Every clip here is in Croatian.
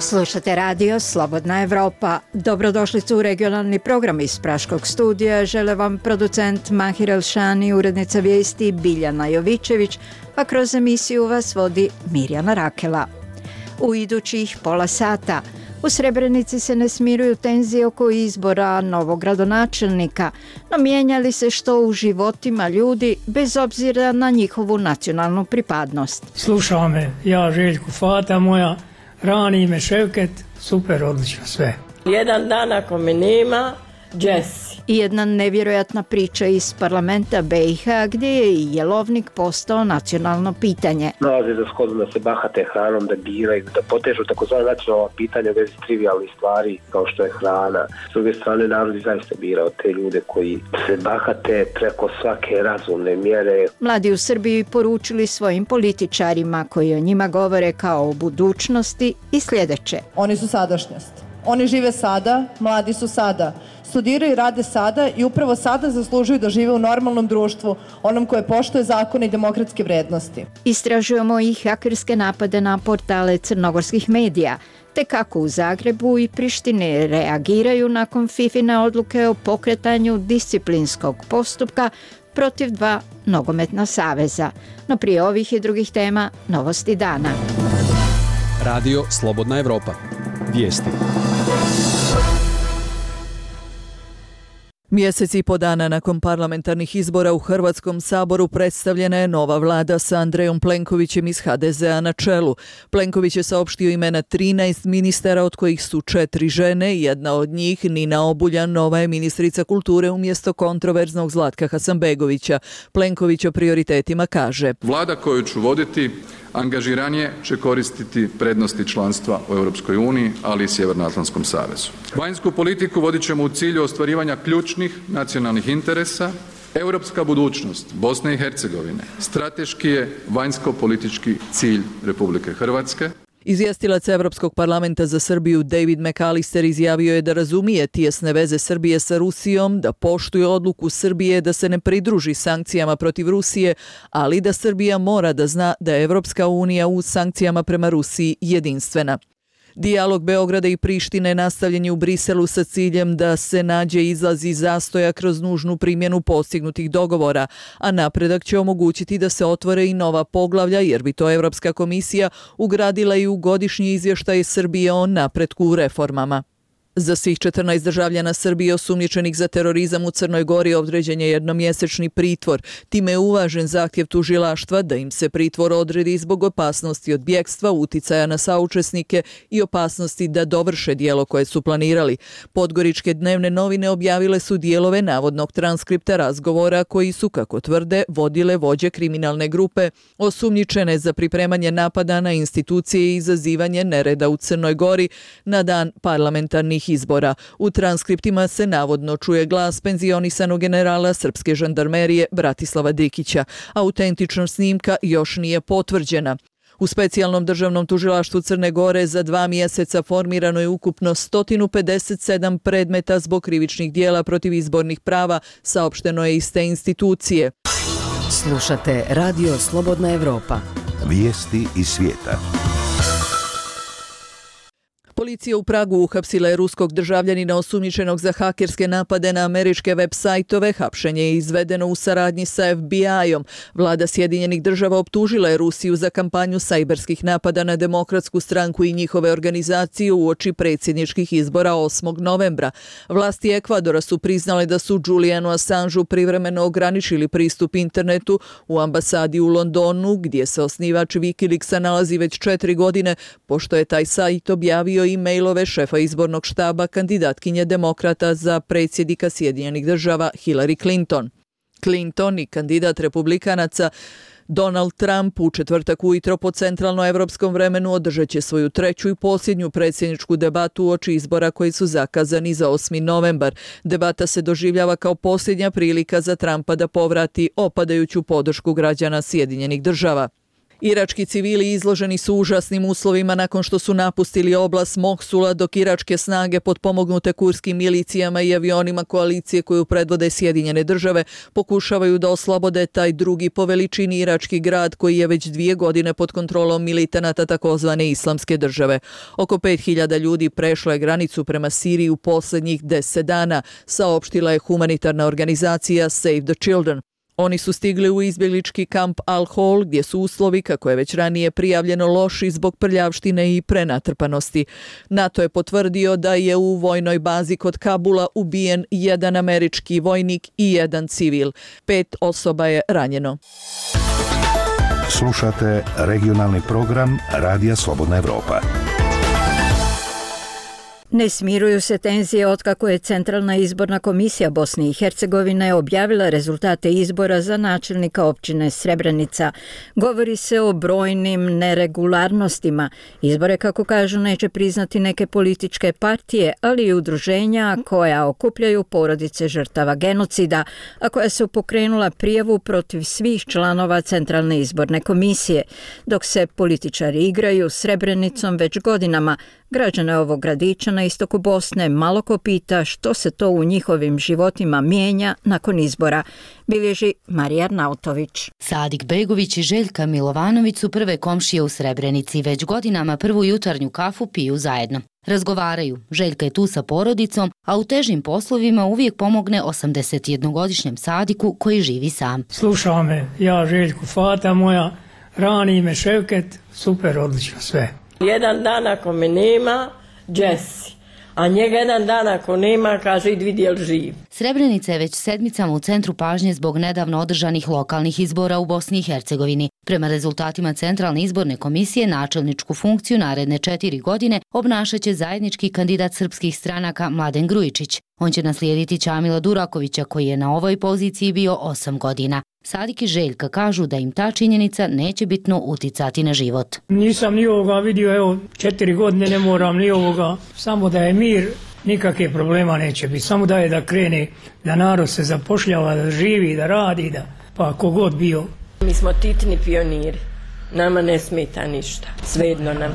Slušate radio Slobodna Evropa. Dobrodošlicu u regionalni program iz Praškog studija. Žele vam producent Mahir Elšani, urednica vijesti Biljana Jovičević, a kroz emisiju vas vodi Mirjana Rakela. U idućih pola sata u Srebrenici se ne smiruju tenzije oko izbora novog gradonačelnika, no mijenjali se što u životima ljudi bez obzira na njihovu nacionalnu pripadnost. Slušao me, ja Željko, fata moja, rani me Ševket, super, odlično sve. Jedan dan ako me nema, Jesse. I jedna nevjerojatna priča iz parlamenta BiH gdje je i jelovnik postao nacionalno pitanje. Nalaze za shodno da se bahate hranom, da biraju, da potežu takozvane nacionalna pitanja u vezi trivijalnih stvari kao što je hrana. S druge strane, narod je zaista birao te ljude koji se bahate preko svake razumne mjere. Mladi u Srbiji poručili svojim političarima koji o njima govore kao o budućnosti i sljedeće. Oni su sadašnjost. Oni žive sada, mladi su sada. Studiraju i rade sada i upravo sada zaslužuju da žive u normalnom društvu, onom koje poštuje zakone i demokratske vrednosti. Istražujemo i hakerske napade na portale crnogorskih medija, te kako u Zagrebu i Prištini reagiraju nakon FIFIne odluke o pokretanju disciplinskog postupka protiv 2 nogometna saveza. No prije ovih i drugih tema, novosti dana. Radio Slobodna Evropa. Vijesti. Mjesec i po dana nakon parlamentarnih izbora u Hrvatskom saboru predstavljena je nova vlada sa Andrejom Plenkovićem iz HDZ-a na čelu. Plenković je saopštio imena 13 ministara, od kojih su 4 žene. Jedna od njih, Nina Obuljan, nova je ministrica kulture umjesto kontroverznog Zlatka Hasanbegovića. Plenković o prioritetima kaže: Vlada koju ću voditi angažiranije će koristiti prednosti članstva u Europskoj uniji, ali i Sjevernoatlantskom savezu. Vanjsku politiku vodit ćemo u cilju ostvarivanja ključnih nacionalnih interesa. Europska budućnost Bosne i Hercegovine strateški je vanjsko-politički cilj Republike Hrvatske. Izvjestilac Europskog parlamenta za Srbiju David McAllister izjavio je da razumije tijesne veze Srbije sa Rusijom, da poštuje odluku Srbije da se ne pridruži sankcijama protiv Rusije, ali da Srbija mora da zna da je Evropska unija u sankcijama prema Rusiji jedinstvena. Dijalog Beograda i Prištine nastavljen je u Briselu sa ciljem da se nađe izlaz iz zastoja kroz nužnu primjenu postignutih dogovora, a napredak će omogućiti da se otvore i nova poglavlja, jer bi to Evropska komisija ugradila i u godišnji izvještaj Srbije o napretku u reformama. Za svih 14 državljana Srbije osumnjičenih za terorizam u Crnoj Gori određen je jednomjesečni pritvor. Time je uvažen zahtjev tužilaštva da im se pritvor odredi zbog opasnosti od bjekstva, uticaja na saučesnike i opasnosti da dovrše djelo koje su planirali. Podgoričke dnevne novine objavile su dijelove navodnog transkripta razgovora koji su, kako tvrde, vodile vođe kriminalne grupe osumnjičene za pripremanje napada na institucije i izazivanje nereda u Crnoj Gori na dan parlamentarnih izbora. U transkriptima se navodno čuje glas penzionisanog generala srpske žandarmerije Bratislava Dikića. Autentičnost snimka još nije potvrđena. U specijalnom državnom tužilaštvu Crne Gore za 2 mjeseca formirano je ukupno 157 predmeta zbog krivičnih dijela protiv izbornih prava, saopšteno je iz te institucije. Slušate Radio Slobodna Evropa. Vijesti iz svijeta. Policija u Pragu uhapsila je ruskog državljanina osumnjičenog za hakerske napade na američke web sajtove. Hapšenje je izvedeno u saradnji sa FBI-om. Vlada Sjedinjenih država optužila je Rusiju za kampanju sajberskih napada na Demokratsku stranku i njihove organizacije uoči predsjedničkih izbora 8. novembra. Vlasti Ekvadora su priznale da su Julianu Assangeu privremeno ograničili pristup internetu u ambasadi u Londonu, gdje se osnivač Wikileaksa nalazi već 4 godine, pošto je taj sajt objavio e-mailove šefa izbornog štaba kandidatkinje demokrata za predsjednika Sjedinjenih država Hillary Clinton. Clinton i kandidat republikanaca Donald Trump u četvrtak ujutro po centralnoevropskom vremenu održat će svoju 3. i posljednju predsjedničku debatu uoči izbora koji su zakazani za 8. novembar. Debata se doživljava kao posljednja prilika za Trumpa da povrati opadajuću podršku građana Sjedinjenih država. Irački civili izloženi su užasnim uslovima nakon što su napustili oblast Moksula, dok iračke snage potpomognute kurskim milicijama i avionima koalicije koju predvode Sjedinjene države pokušavaju da oslobode taj drugi po veličini irački grad koji je već 2 godine pod kontrolom militanata takozvane Islamske države. Oko 5000 ljudi prešlo je granicu prema Siriji u posljednjih 10 dana, saopštila je humanitarna organizacija Save the Children. Oni su stigli u izbjeglički kamp Al-Hol, gdje su uslovi, kako je već ranije prijavljeno, loši zbog prljavštine i prenatrpanosti. NATO je potvrdio da je u vojnoj bazi kod Kabula ubijen 1 američki vojnik i 1 civil. 5 osoba je ranjeno. Slušate regionalni program Radija Slobodna Evropa. Ne smiruju se tenzije otkako je Centralna izborna komisija Bosne i Hercegovine objavila rezultate izbora za načelnika općine Srebrenica. Govori se o brojnim neregularnostima. Izbore, kako kažu, neće priznati neke političke partije, ali i udruženja koja okupljaju porodice žrtava genocida, a koja su pokrenula prijavu protiv svih članova Centralne izborne komisije. Dok se političari igraju Srebrenicom već godinama, građane ovog gradića na istoku Bosne malo ko pita što se to u njihovim životima mijenja nakon izbora, bilježi Marija Arnautović. Sadik Begović i Željka Milovanović su prve komšije u Srebrenici. Već godinama prvu jutarnju kafu piju zajedno. Razgovaraju, Željka je tu sa porodicom, a u težim poslovima uvijek pomogne 81-godišnjem Sadiku koji živi sam. Slušao me, ja Željku, fata moja, rani me Ševket, super, odlično sve. Jedan dan ako me nema, Jesse. A njega jedan dan ako nema, kaže idi vidi jel živ. Srebrenica je već sedmicama u centru pažnje zbog nedavno održanih lokalnih izbora u Bosni i Hercegovini. Prema rezultatima Centralne izborne komisije, načelničku funkciju naredne 4 godine obnašaće zajednički kandidat srpskih stranaka Mladen Grujičić. On će naslijediti Čamila Durakovića koji je na ovoj poziciji bio 8 godina. Sadik i Željka kažu da im ta činjenica neće bitno uticati na život. Nisam ni ovoga vidio, evo 4 godine ne moram ni ovoga, samo da je mir, nikakve problema neće biti, samo da je da krene, da narod se zapošljava, da živi, da radi, da pa kogod bio. Mi smo titni pioniri, nama ne smeta ništa, svejedno nam.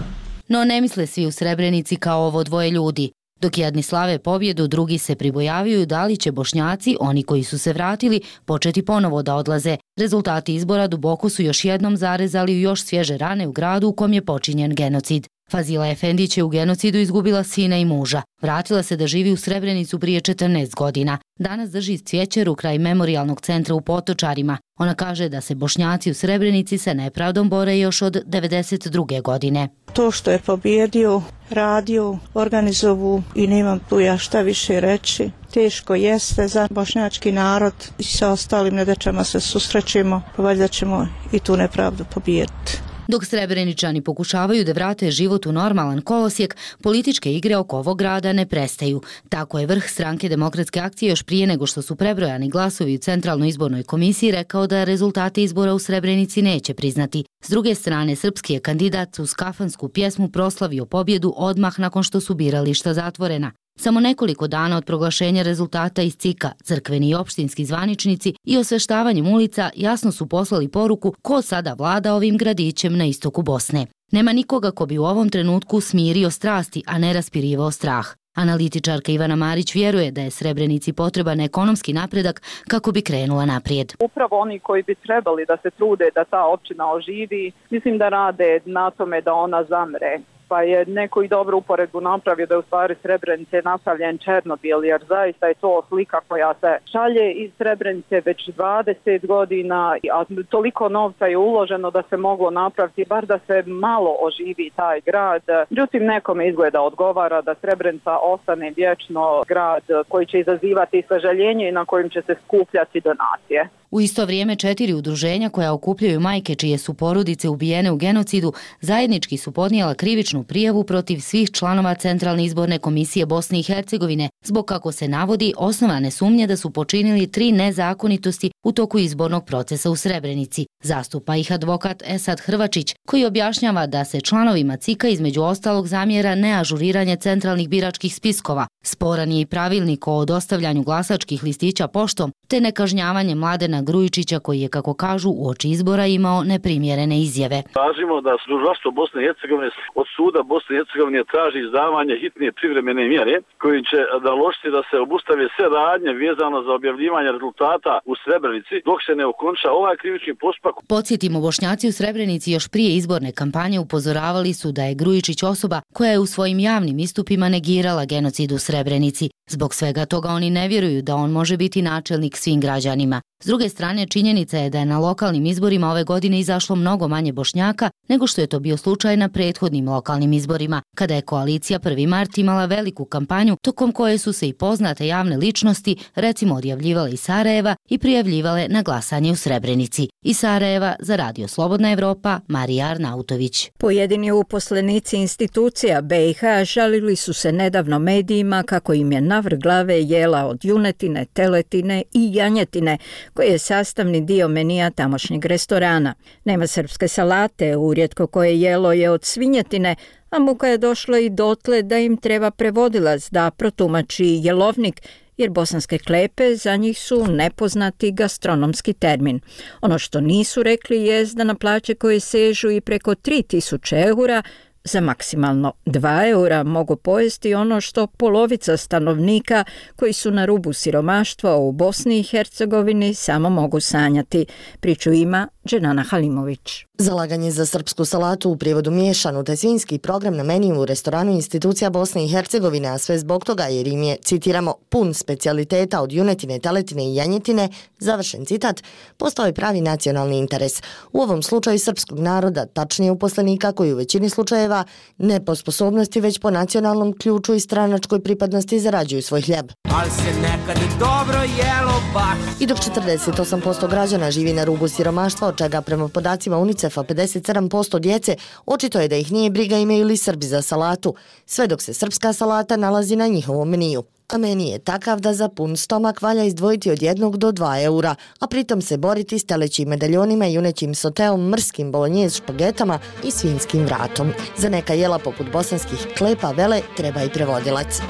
No ne misle svi u Srebrenici kao ovo dvoje ljudi. Dok jedni slave pobjedu, drugi se pribojavaju da li će Bošnjaci, oni koji su se vratili, početi ponovo da odlaze. Rezultati izbora duboko su još jednom zarezali u još svježe rane u gradu u kom je počinjen genocid. Fazila Efendić je u genocidu izgubila sina i muža. Vratila se da živi u Srebrenicu prije 14 godina. Danas drži cvijećeru kraj memorijalnog centra u Potočarima. Ona kaže da se Bošnjaci u Srebrenici sa nepravdom bore još od 92. godine. To što je pobjedio, radio, organizovu i nemam tu ja šta više reći. Teško jeste za bošnjački narod i sa ostalim nedaćama se susrećemo, pa valjda ćemo i tu nepravdu pobijediti. Dok Srebreničani pokušavaju da vrate život u normalan kolosijek, političke igre oko ovog grada ne prestaju. Tako je vrh stranke Demokratske akcije još prije nego što su prebrojani glasovi u Centralnoj izbornoj komisiji rekao da rezultate izbora u Srebrenici neće priznati. S druge strane, srpski je kandidat uz kafansku pjesmu proslavio pobjedu odmah nakon što su birališta zatvorena. Samo nekoliko dana od proglašenja rezultata iz CIK-a, crkveni i opštinski zvaničnici i osveštavanjem ulica jasno su poslali poruku ko sada vlada ovim gradićem na istoku Bosne. Nema nikoga ko bi u ovom trenutku smirio strasti, a ne raspirivao strah. Analitičarka Ivana Marić vjeruje da je Srebrenici potreban ekonomski napredak kako bi krenula naprijed. Upravo oni koji bi trebali da se trude da ta općina oživi, mislim da rade na tome da ona zamre. Pa je neko i dobro uporedbu napravio da je u stvari Srebrenice napravljen Černobil, jer zaista je to slika koja se šalje iz Srebrenice već 20 godina, a toliko novca je uloženo da se moglo napraviti, bar da se malo oživi taj grad. Međutim, nekome izgleda odgovara da Srebrenica ostane vječno grad koji će izazivati sažaljenje i na kojim će se skupljati donacije. U isto vrijeme 4 udruženja koja okupljaju majke čije su porodice ubijene u genocidu zajednički su podnijela krivičnu krivičnu prijavu protiv svih članova Centralne izborne komisije Bosne i Hercegovine, zbog, kako se navodi, osnovane sumnje da su počinili 3 nezakonitosti u toku izbornog procesa u Srebrenici. Zastupa ih advokat Esad Hrvačić, koji objašnjava da se članovima CIK-a između ostalog zamjera neažuriranje centralnih biračkih spiskova, sporan je i pravilnik o dostavljanju glasačkih listića poštom, te nekažnjavanje Mladena Grujičića, koji je, kako kažu, uoči izbora imao neprimjerene izjave. Tražimo da tužilaštvo Bosne i Hercegovine od suda Bosne i Hercegovine traži izdavanje hitne privremene mjere koji će naložiti da se obustave sve radnje vezano za objavljivanje rezultata u Srebrenici dok se ne okonča ovaj krivični postupak. Podsjetimo, Bošnjaci u Srebrenici još prije izborne kampanje upozoravali su da je Grujičić osoba koja je u svojim javnim istupima negirala genocid u Srebrenici. Zbog svega toga oni ne vjeruju da on može biti načelnik svim građanima. S druge strane, činjenica je da je na lokalnim izborima ove godine izašlo mnogo manje Bošnjaka nego što je to bio slučaj na prethodnim lokalnim izborima, kada je koalicija 1. mart imala veliku kampanju tokom koje su se i poznate javne ličnosti, recimo, odjavljivale iz Sarajeva i prijavljivale na glasanje u Srebrenici. Iz Sarajeva za Radio Slobodna Evropa, Marija Arnautović. Pojedini uposlenici institucija BiH žalili su se nedavno medijima kako im je navrh glave jela od junetine, teletine i janjetine, koji je sastavni dio menija tamošnjeg restorana. Nema srpske salate, urijetko koje jelo je od svinjetine, a muka je došla i dotle da im treba prevodilac da protumači jelovnik, jer bosanske klepe za njih su nepoznati gastronomski termin. Ono što nisu rekli jest da na plaće koje sežu i preko 3000 eura za maksimalno 2 eura mogu pojesti ono što polovica stanovnika koji su na rubu siromaštva u Bosni i Hercegovini samo mogu sanjati. Priču ima Dženana Halimović. Zalaganje za srpsku salatu, u prijevodu miješanu, te svinjski program na meniju u restoranu institucija Bosne i Hercegovine, a sve zbog toga jer im je, citiramo, pun specijaliteta od junetine, teletine i janjetine, završen citat, postao je pravi nacionalni interes. U ovom slučaju srpskog naroda, tačnije uposlenika koji u većini slučajeva ne po sposobnosti već po nacionalnom ključu i stranačkoj pripadnosti zarađuju svoj hljeb. Ali se nekad dobro jelo baš. I dok 48% građana živi na rubu siromaštva, od čega prema podacima UNICEF-a 57% djece, očito je da ih nije briga imaju li Srbi za salatu, sve dok se srpska salata nalazi na njihovom meniju. A meni je takav da za pun stomak valja izdvojiti od 1 do 2 eura, a pritom se boriti s telećim medaljonima, junećim soteom, mrskim bolonjez špagetama i svinjskim vratom. Za neka jela poput bosanskih klepa vele treba i prevodilac.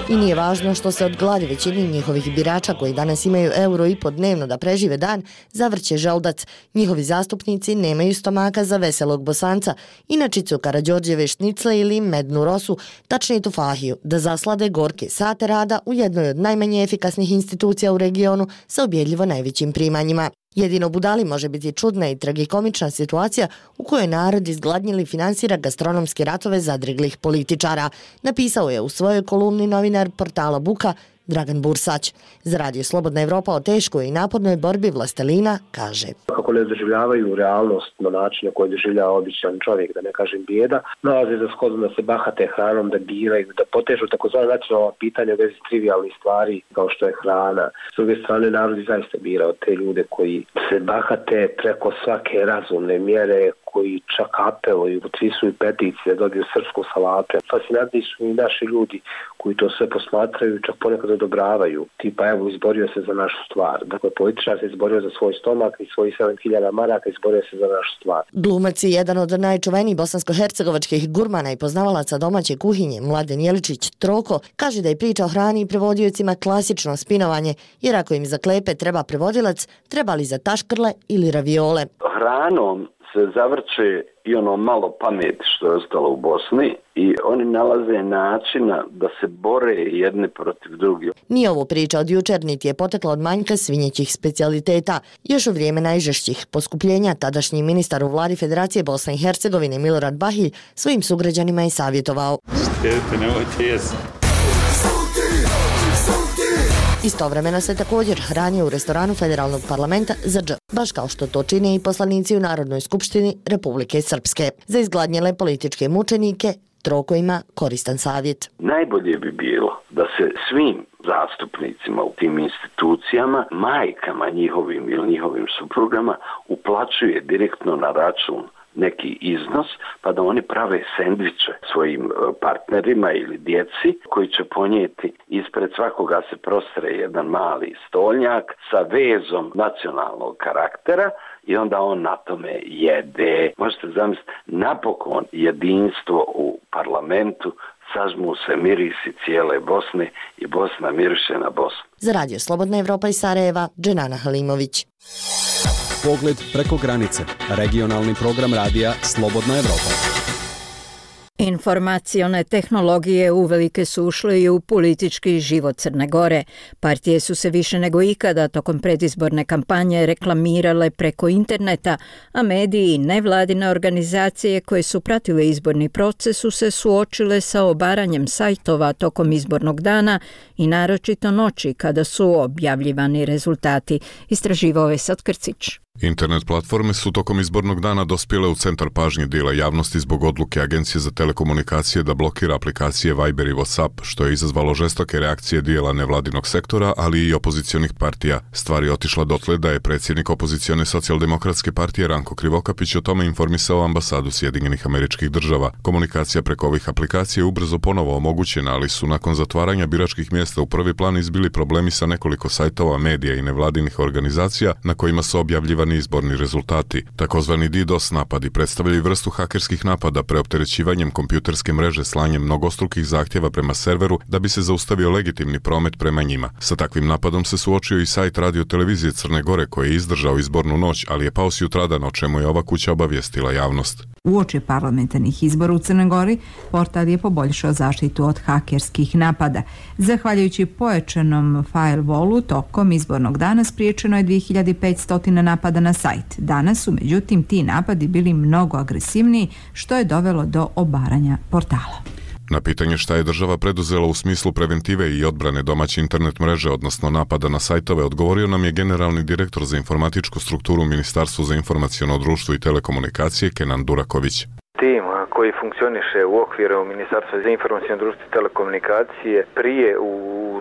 I nije važno što se od gladi većini njihovih birača koji danas imaju euro i po dnevno da prežive dan, zavrće želudac. Njihovi zastupnici nemaju stomaka za veselog Bosanca, inačicu Karađorđeve šnicle ili mednu rosu, tačnije tufahiju, da zaslade gorke sate rada u jednoj od najmanje efikasnih institucija u regionu sa ubjedljivo najvećim primanjima. Jedino budali može biti čudna i tragikomična situacija u kojoj narod izgladnjili finansira gastronomske ratove zadriglih političara, napisao je u svojoj kolumni novinar portala Buka Dragan Bursać. Za Radio Slobodna Evropa o teškoj i napornoj borbi vlastelina kaže: Kako ne doživljavaju realnost na način na koji doživljava običan čovjek, da ne kažem bijeda, nalaze za shodno da se bahate hranom, da biraju, da potežu takozvana nacionalna pitanja u vezi trivialnih stvari kao što je hrana. S druge strane, narod je zaista birao te ljude koji se bahate preko svake razumne mjere, koji čak apeluju, potpisuju peticije da dobiju srpsku salatu. Fascinantni su i naši ljudi koji to sve posmatraju i čak ponekad odobravaju. Tipa, evo, izborio se za našu stvar. Dakle, političar se izborio za svoj stomak i svojih 7.000 maraka izborio se za našu stvar. Glumac je jedan od najčuvenijih bosansko-hercegovačkih gurmana i poznavalaca domaće kuhinje, Mladen Jeličić Troko, kaže da je priča o hrani i prevodiocima klasično spinovanje, jer ako im za klepe treba prevodilac, treba li za taškrle ili raviole. Hranom se zavrće i ono malo pameti što je ostalo u Bosni i oni nalaze načina da se bore jedni protiv drugih. Nije ovo priča od jučer, niti je potekla od manjka svinjećih specijaliteta. Još u vrijeme najžešćih poskupljenja tadašnji ministar u vladi Federacije Bosne i Hercegovine Milorad Bahilj svojim sugrađanima je savjetovao: istovremeno se također hranio u restoranu Federalnog parlamenta za dž, baš kao što to čine i poslanici u Narodnoj skupštini Republike Srpske. Za izgladnjele političke mučenike Troko ima koristan savjet. Najbolje bi bilo da se svim zastupnicima u tim institucijama, majkama njihovim ili njihovim suprugama uplaćuje direktno na račun neki iznos, pa da oni prave sendviče svojim partnerima ili djeci koji će ponijeti ispred svakoga se prostre jedan mali stolnjak sa vezom nacionalnog karaktera i onda on na tome jede. Možete zamisliti, napokon jedinstvo u parlamentu, sažmu se mirisi cijele Bosne i Bosna miriše na Bosnu. Za Radio Slobodna Evropa iz Sarajeva, Dženana Halimović. Pogled preko granice. Regionalni program radija Slobodna Evropa. Informacione tehnologije uvelike su ušle i u politički život Crne Gore. Partije su se više nego ikada tokom predizborne kampanje reklamirale preko interneta, a mediji i nevladine organizacije koje su pratile izborni proces su se suočile sa obaranjem sajtova tokom izbornog dana i naročito noći kada su objavljivani rezultati. Istraživao je Esad Krcić. Internet platforme su tokom izbornog dana dospjele u centar pažnje dijela javnosti zbog odluke Agencije za telekomunikacije da blokira aplikacije Viber i WhatsApp, što je izazvalo žestoke reakcije dijela nevladinog sektora, ali i opozicionih partija. Stvar je otišla dotle da je predsjednik opozicione socijaldemokratske partije Ranko Krivokapić o tome informisao ambasadu Sjedinjenih Američkih Država. Komunikacija preko ovih aplikacija je ubrzo ponovo omogućena, ali su nakon zatvaranja biračkih mjesta u prvi plan izbili problemi sa nekoliko sajtova, medija i nevladinih organizacija na kojima su objavljivani izborni rezultati. Takozvani DDoS napadi predstavljaju vrstu hakerskih napada preopterećivanjem kompjuterske mreže slanjem mnogostrukih zahtjeva prema serveru da bi se zaustavio legitimni promet prema njima. Sa takvim napadom se suočio i sajt Radio televizije Crne Gore koji je izdržao izbornu noć, ali je pao sutradan, o čemu je ova kuća obavijestila javnost. Uoči parlamentarnih izbora u Crnoj Gori, portal je poboljšao zaštitu od hakerskih napada. Zahvaljujući pojačanom firewallu, tokom izbornog dana spriječeno je 2500 napada na sajt. Danas su, međutim, ti napadi bili mnogo agresivniji, što je dovelo do obaranja portala. Na pitanje šta je država preduzela u smislu preventive i odbrane domaće internet mreže, odnosno napada na sajtove, odgovorio nam je generalni direktor za informatičku strukturu Ministarstva za informaciono društvo i telekomunikacije Kenan Duraković. Tim koji funkcioniše u okviru Ministarstva za informaciono društvo i telekomunikacije prije, u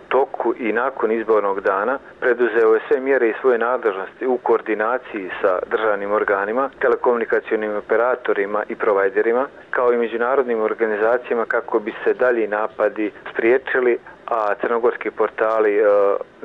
toku i nakon izbornog dana preduzeo je sve mjere i svoje nadležnosti u koordinaciji sa državnim organima, telekomunikacionim operatorima i provajderima, kao i međunarodnim organizacijama kako bi se dalji napadi spriječili, a crnogorski portali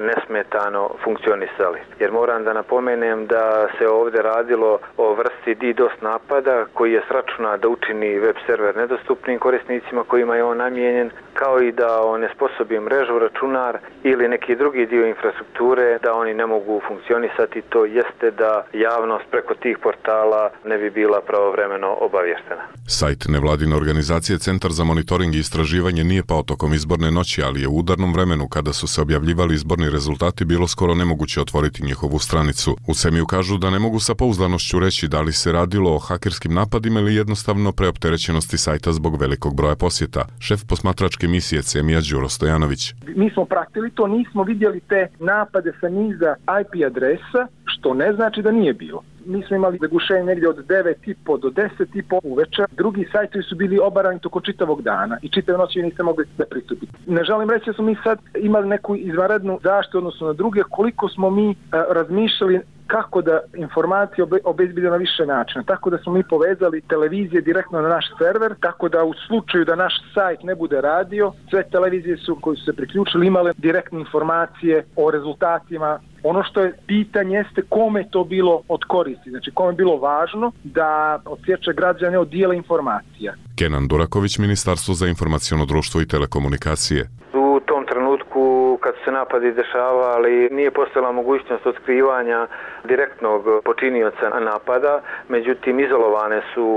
nesmetano funkcionisali. Jer moram da napomenem da se ovdje radilo o vrsti DDoS napada koji je s računa da učini web server nedostupnim korisnicima kojima je on namijenjen, kao i da onesposobi mrežu, računar ili neki drugi dio infrastrukture da oni ne mogu funkcionisati. To jeste da javnost preko tih portala ne bi bila pravovremeno obavještena. Sajt nevladine organizacije Centar za monitoring i istraživanje nije pao tokom izborne noći, ali je u udarnom vremenu kada su se objavljivali izborni rezultati bilo skoro nemoguće otvoriti njihovu stranicu. U Semiju kažu da ne mogu sa pouzdanošću reći da li se radilo o hakerskim napadima ili jednostavno preopterećenosti sajta zbog velikog broja posjeta. Šef posmatračke misije Semija Đuro Stojanović. Mi smo pratili to, nismo vidjeli te napade sa niza IP adresa, što ne znači da nije bilo. Mi smo imali zagušenje negdje od 9:30 do 10:30 uveče. Drugi sajtovi su bili obarani toko čitavog dana i čitave noći niste mogli da pristupiti. Ne želim reći da smo mi sad imali neku izvanrednu zaštitu odnosno na druge, koliko smo mi razmišljali kako da informacije obezbedimo na više načina. Tako da smo mi povezali televizije direktno na naš server, tako da u slučaju da naš sajt ne bude radio, sve televizije koji su se priključili imale direktne informacije o rezultatima. Ono što je pitanje jeste kome je to bilo od koristi, znači kome je bilo važno da odsječe građane od dijela informacija. Kenan Duraković, Ministarstvo za informaciono društvo i telekomunikacije. U tom trenutku kad su se napadi dešavali nije postojala mogućnost otkrivanja direktnog počinioca napada, međutim izolovane su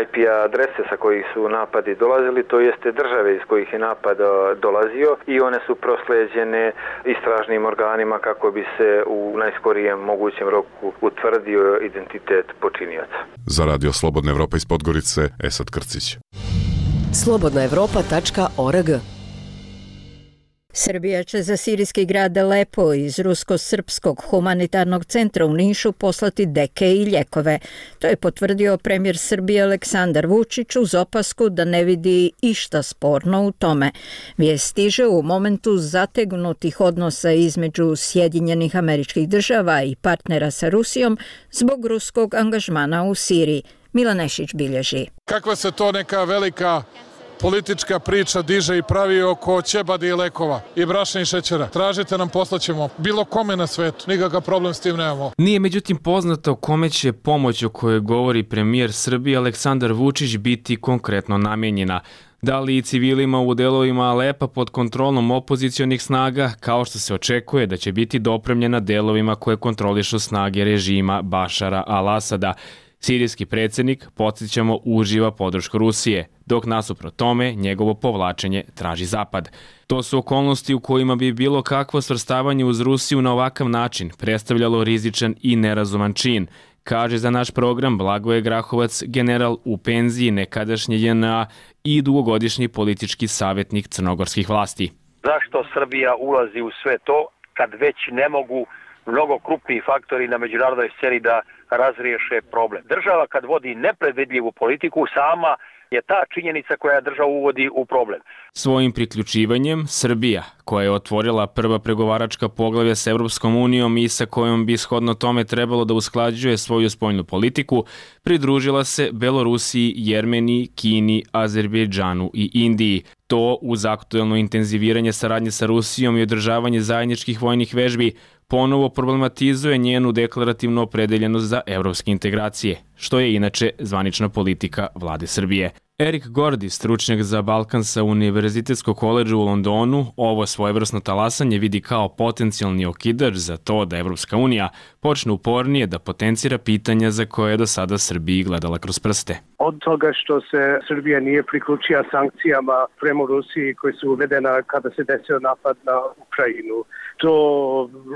IP adrese sa kojih su napadi dolazili, to jeste države iz kojih je napad dolazio i one su prosleđene istražnim organima kako bi se u najskorijem mogućem roku utvrdio identitet počinioca. Za Radio Slobodna Evropa iz Podgorice, Esad Krcić. Slobodnaevropa.org Srbija će za sirijski grad Alepo iz Rusko-srpskog humanitarnog centra u Nišu poslati deke i ljekove. To je potvrdio premijer Srbije Aleksandar Vučić uz opasku da ne vidi išta sporno u tome. Vijest stiže u momentu zategnutih odnosa između Sjedinjenih Američkih Država i partnera sa Rusijom zbog ruskog angažmana u Siriji. Milan Nešić bilježi. Kakva se to neka velika politička priča diže i pravi oko ćebadi i lekova i brašna i šećera. Tražite nam, poslaćemo bilo kome na svetu. Nikakav problem s tim nemamo. Nije međutim poznato kome će pomoć o kojoj govori premijer Srbije Aleksandar Vučić biti konkretno namijenjena. Da li i civilima u delovima Alepa pod kontrolom opozicionih snaga, kao što se očekuje da će biti dopremljena delovima koje kontrolišu snage režima Bašara al-Asada. Sirijski predsjednik, podsjećamo, uživa podršku Rusije, dok nasuprot tome njegovo povlačenje traži Zapad. To su okolnosti u kojima bi bilo kakvo svrstavanje uz Rusiju na ovakav način predstavljalo rizičan i nerazuman čin, kaže za naš program Blagoje Grahovac, general u penziji nekadašnje JNA i dugogodišnji politički savjetnik crnogorskih vlasti. Zašto Srbija ulazi u sve to kad već ne mogu mnogo krupniji faktori na međunarodnoj sceni da razriješe problem? Država kad vodi nepredvidljivu politiku, sama je ta činjenica koja državu uvodi u problem. Svojim priključivanjem Srbija, koja je otvorila prva pregovaračka poglavlja s Evropskom unijom i sa kojom bi shodno tome trebalo da usklađuje svoju spoljnu politiku, pridružila se Belorusiji, Jermeniji, Kini, Azerbejdžanu i Indiji. To uz aktuelno intenziviranje saradnje sa Rusijom i održavanje zajedničkih vojnih vežbi ponovo problematizuje njenu deklarativnu opredeljenost za evropske integracije, što je inače zvanična politika vlade Srbije. Erik Gordy, stručnjak za Balkan sa Univerzitetskog koledža u Londonu, ovo svojevrsno talasanje vidi kao potencijalni okidač za to da Evropska unija počne upornije da potencira pitanja za koje je do sada Srbiji gledala kroz prste. Od toga što se Srbija nije priključila sankcijama prema Rusiji koji su uvedena kada se desio napad na Ukrajinu, do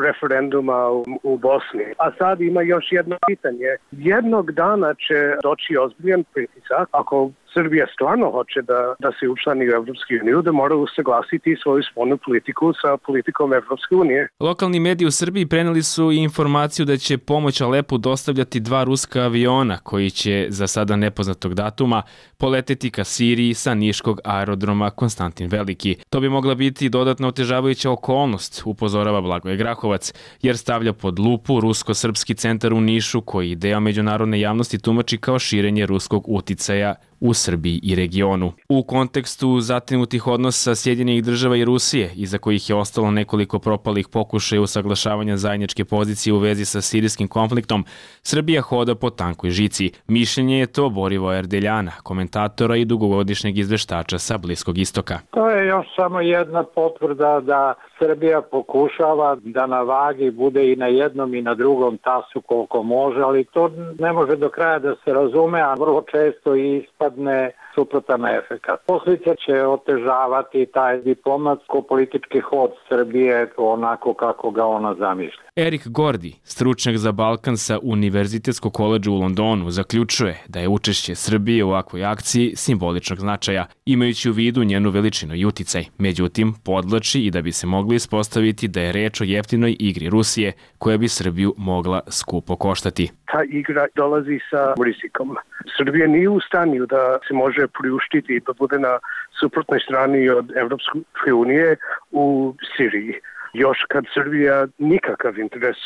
referenduma u Bosni. A sad ima još jedno pitanje. Jednog dana će doći ozbiljan pritisak, ako Srbija stvarno hoće da se učlani u Evropsku uniju, da mora usaglasiti svoju spoljnu politiku sa politikom Evropske unije. Lokalni mediji u Srbiji preneli su i informaciju da će pomoć Alepu dostavljati 2 ruska aviona koji će za sada nepoznatog datuma poleteti ka Siriji sa niškog aerodroma Konstantin Veliki. To bi mogla biti dodatno otežavajuća okolnost, upozorava Blagoje Grahovac, jer stavlja pod lupu rusko-srpski centar u Nišu koji deo međunarodne javnosti tumači kao širenje ruskog uticaja u Srbiji i regionu. U kontekstu zatinutih odnosa Sjedinjenih Država i Rusije, iza kojih je ostalo nekoliko propalih pokušaja usaglašavanja zajedničke pozicije u vezi sa sirijskim konfliktom, Srbija hoda po tankoj žici. Mišljenje je to Borivoja Erdeljana, komentatora i dugogodišnjeg izveštača sa Bliskog istoka. To je još samo jedna potvrda da Srbija pokušava da na vagi bude i na jednom i na drugom tasu koliko može, ali to ne može do kraja da se razume, a vrlo često ispadne suprotan efekat. Posljedice će otežavati taj diplomatsko-politički hod Srbije onako kako ga ona zamišlja. Erik Gordy, stručnjak za Balkan sa Univerzitetskog koledža u Londonu, zaključuje da je učešće Srbije u ovakvoj akciji simboličnog značaja, imajući u vidu njenu veličinu i uticaj. Međutim, podlači i da bi se mogli ispostaviti da je reč o jeftinoj igri Rusije, koja bi Srbiju mogla skupo koštati. Ta igra dolazi sa rizikom. Srbija nije u stanju da se može priuštiti da bude na suprotnoj strani od Evropske unije u Siriji. Još kad Srbija nikakav interes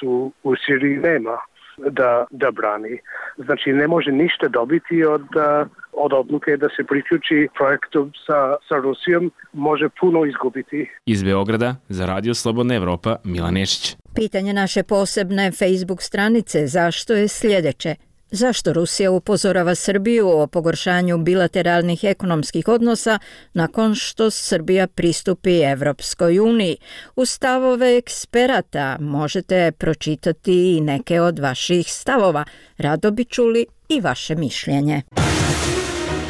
u Siriji nema da brani. Znači ne može ništa dobiti od odluke da se priključi projektu sa Rusijom, može puno izgubiti. Iz Beograda za Radio Slobodna Evropa, Milan Nešić. Pitanje naše posebne Facebook stranice zašto je sljedeće. Zašto Rusija upozorava Srbiju o pogoršanju bilateralnih ekonomskih odnosa nakon što Srbija pristupi Evropskoj uniji? U stavove eksperata možete pročitati i neke od vaših stavova. Rado bi čuli i vaše mišljenje.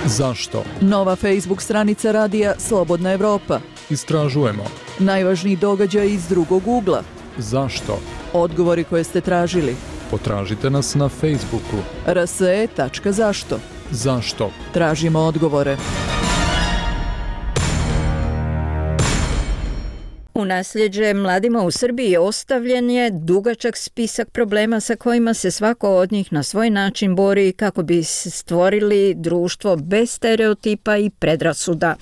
Zašto? Nova Facebook stranica radija Slobodna Evropa. Istražujemo. Najvažniji događaj iz drugog ugla. Zašto? Odgovori koje ste tražili. Potražite nas na Facebooku. rse.zašto. Zašto? Tražimo odgovore. U nasljeđe mladima u Srbiji ostavljen je dugačak spisak problema sa kojima se svako od njih na svoj način bori kako bi stvorili društvo bez stereotipa i predrasuda.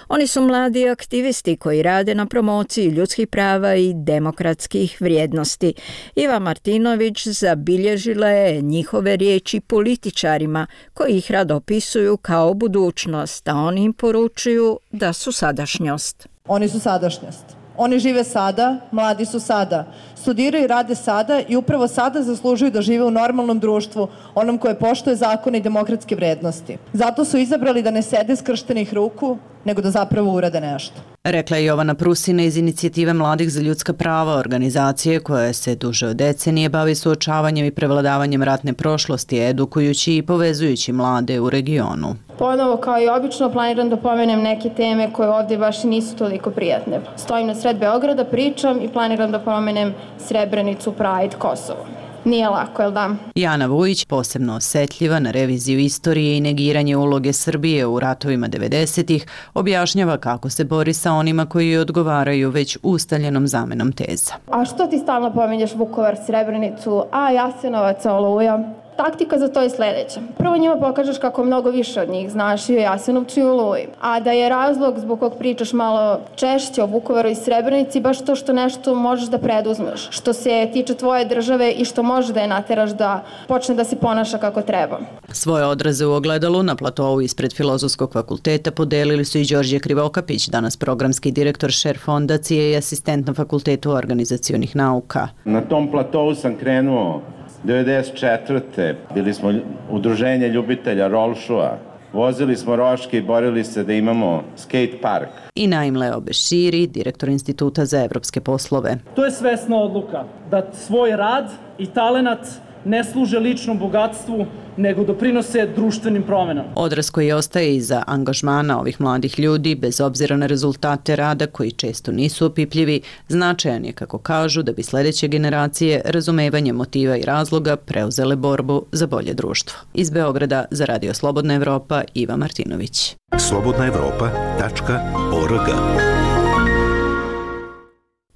Oni su mladi aktivisti koji rade na promociji ljudskih prava i demokratskih vrijednosti. Iva Martinović zabilježila je njihove riječi političarima koji ih rado opisuju kao budućnost, a oni im poručuju da su sadašnjost. Oni su sadašnjost. Oni žive sada, mladi su sada, studiraju i rade sada i upravo sada zaslužuju da žive u normalnom društvu, onom koje poštuje zakone i demokratske vrednosti. Zato su izabrali da ne sede skrštenih ruku, nego da zapravo urade nešto. Rekla je Jovana Prusina iz Inicijative mladih za ljudska prava, organizacije koja se duže od decenije bavi suočavanjem i prevladavanjem ratne prošlosti, edukujući i povezujući mlade u regionu. Ponovo, kao i obično, planiram da pomenem neke teme koje ovdje baš nisu toliko prijatne. Stojim na sred Beograda, pričam i planiram da pomenem Srebrenicu, Pride, Kosovo. Nije lako, jel da? Jana Vujić, posebno osjetljiva na reviziju istorije i negiranje uloge Srbije u ratovima 90-ih, objašnjava kako se bori sa onima koji odgovaraju već ustaljenom zamenom teza. A što ti stalno pominješ Vukovar, Srebrenicu, a Jasenovac, Oluja? Taktika za to je sljedeća. Prvo njima pokažeš kako mnogo više od njih znaš i o Jasenovcu i o Oluji. A da je razlog zbog kog pričaš malo češće o Vukovaru i Srebrenici baš to što nešto možeš da preduzmeš. Što se tiče tvoje države i što može da je nateraš da počne da se ponaša kako treba. Svoje odraze u ogledalu na platovu ispred Filozofskog fakulteta podelili su i Đorđe Krivokapić, danas programski direktor Šer fondacije i asistent na Fakultetu organizacionih nauka. Na tom platovu sam krenuo 1994. Bili smo udruženje ljubitelja rolšua. Vozili smo roške i borili se da imamo skate park. I Naim Leo Beširi, direktor Instituta za evropske poslove. To je svesna odluka da svoj rad i talenat ne služe ličnom bogatstvu, nego doprinose društvenim promenama. Odraz koji ostaje iza angažmana ovih mladih ljudi, bez obzira na rezultate rada koji često nisu opipljivi, značajan je, kako kažu, da bi sljedeće generacije razumevanje motiva i razloga preuzele borbu za bolje društvo. Iz Beograda za Radio Slobodna Evropa, Iva Martinović. slobodnaevropa.org.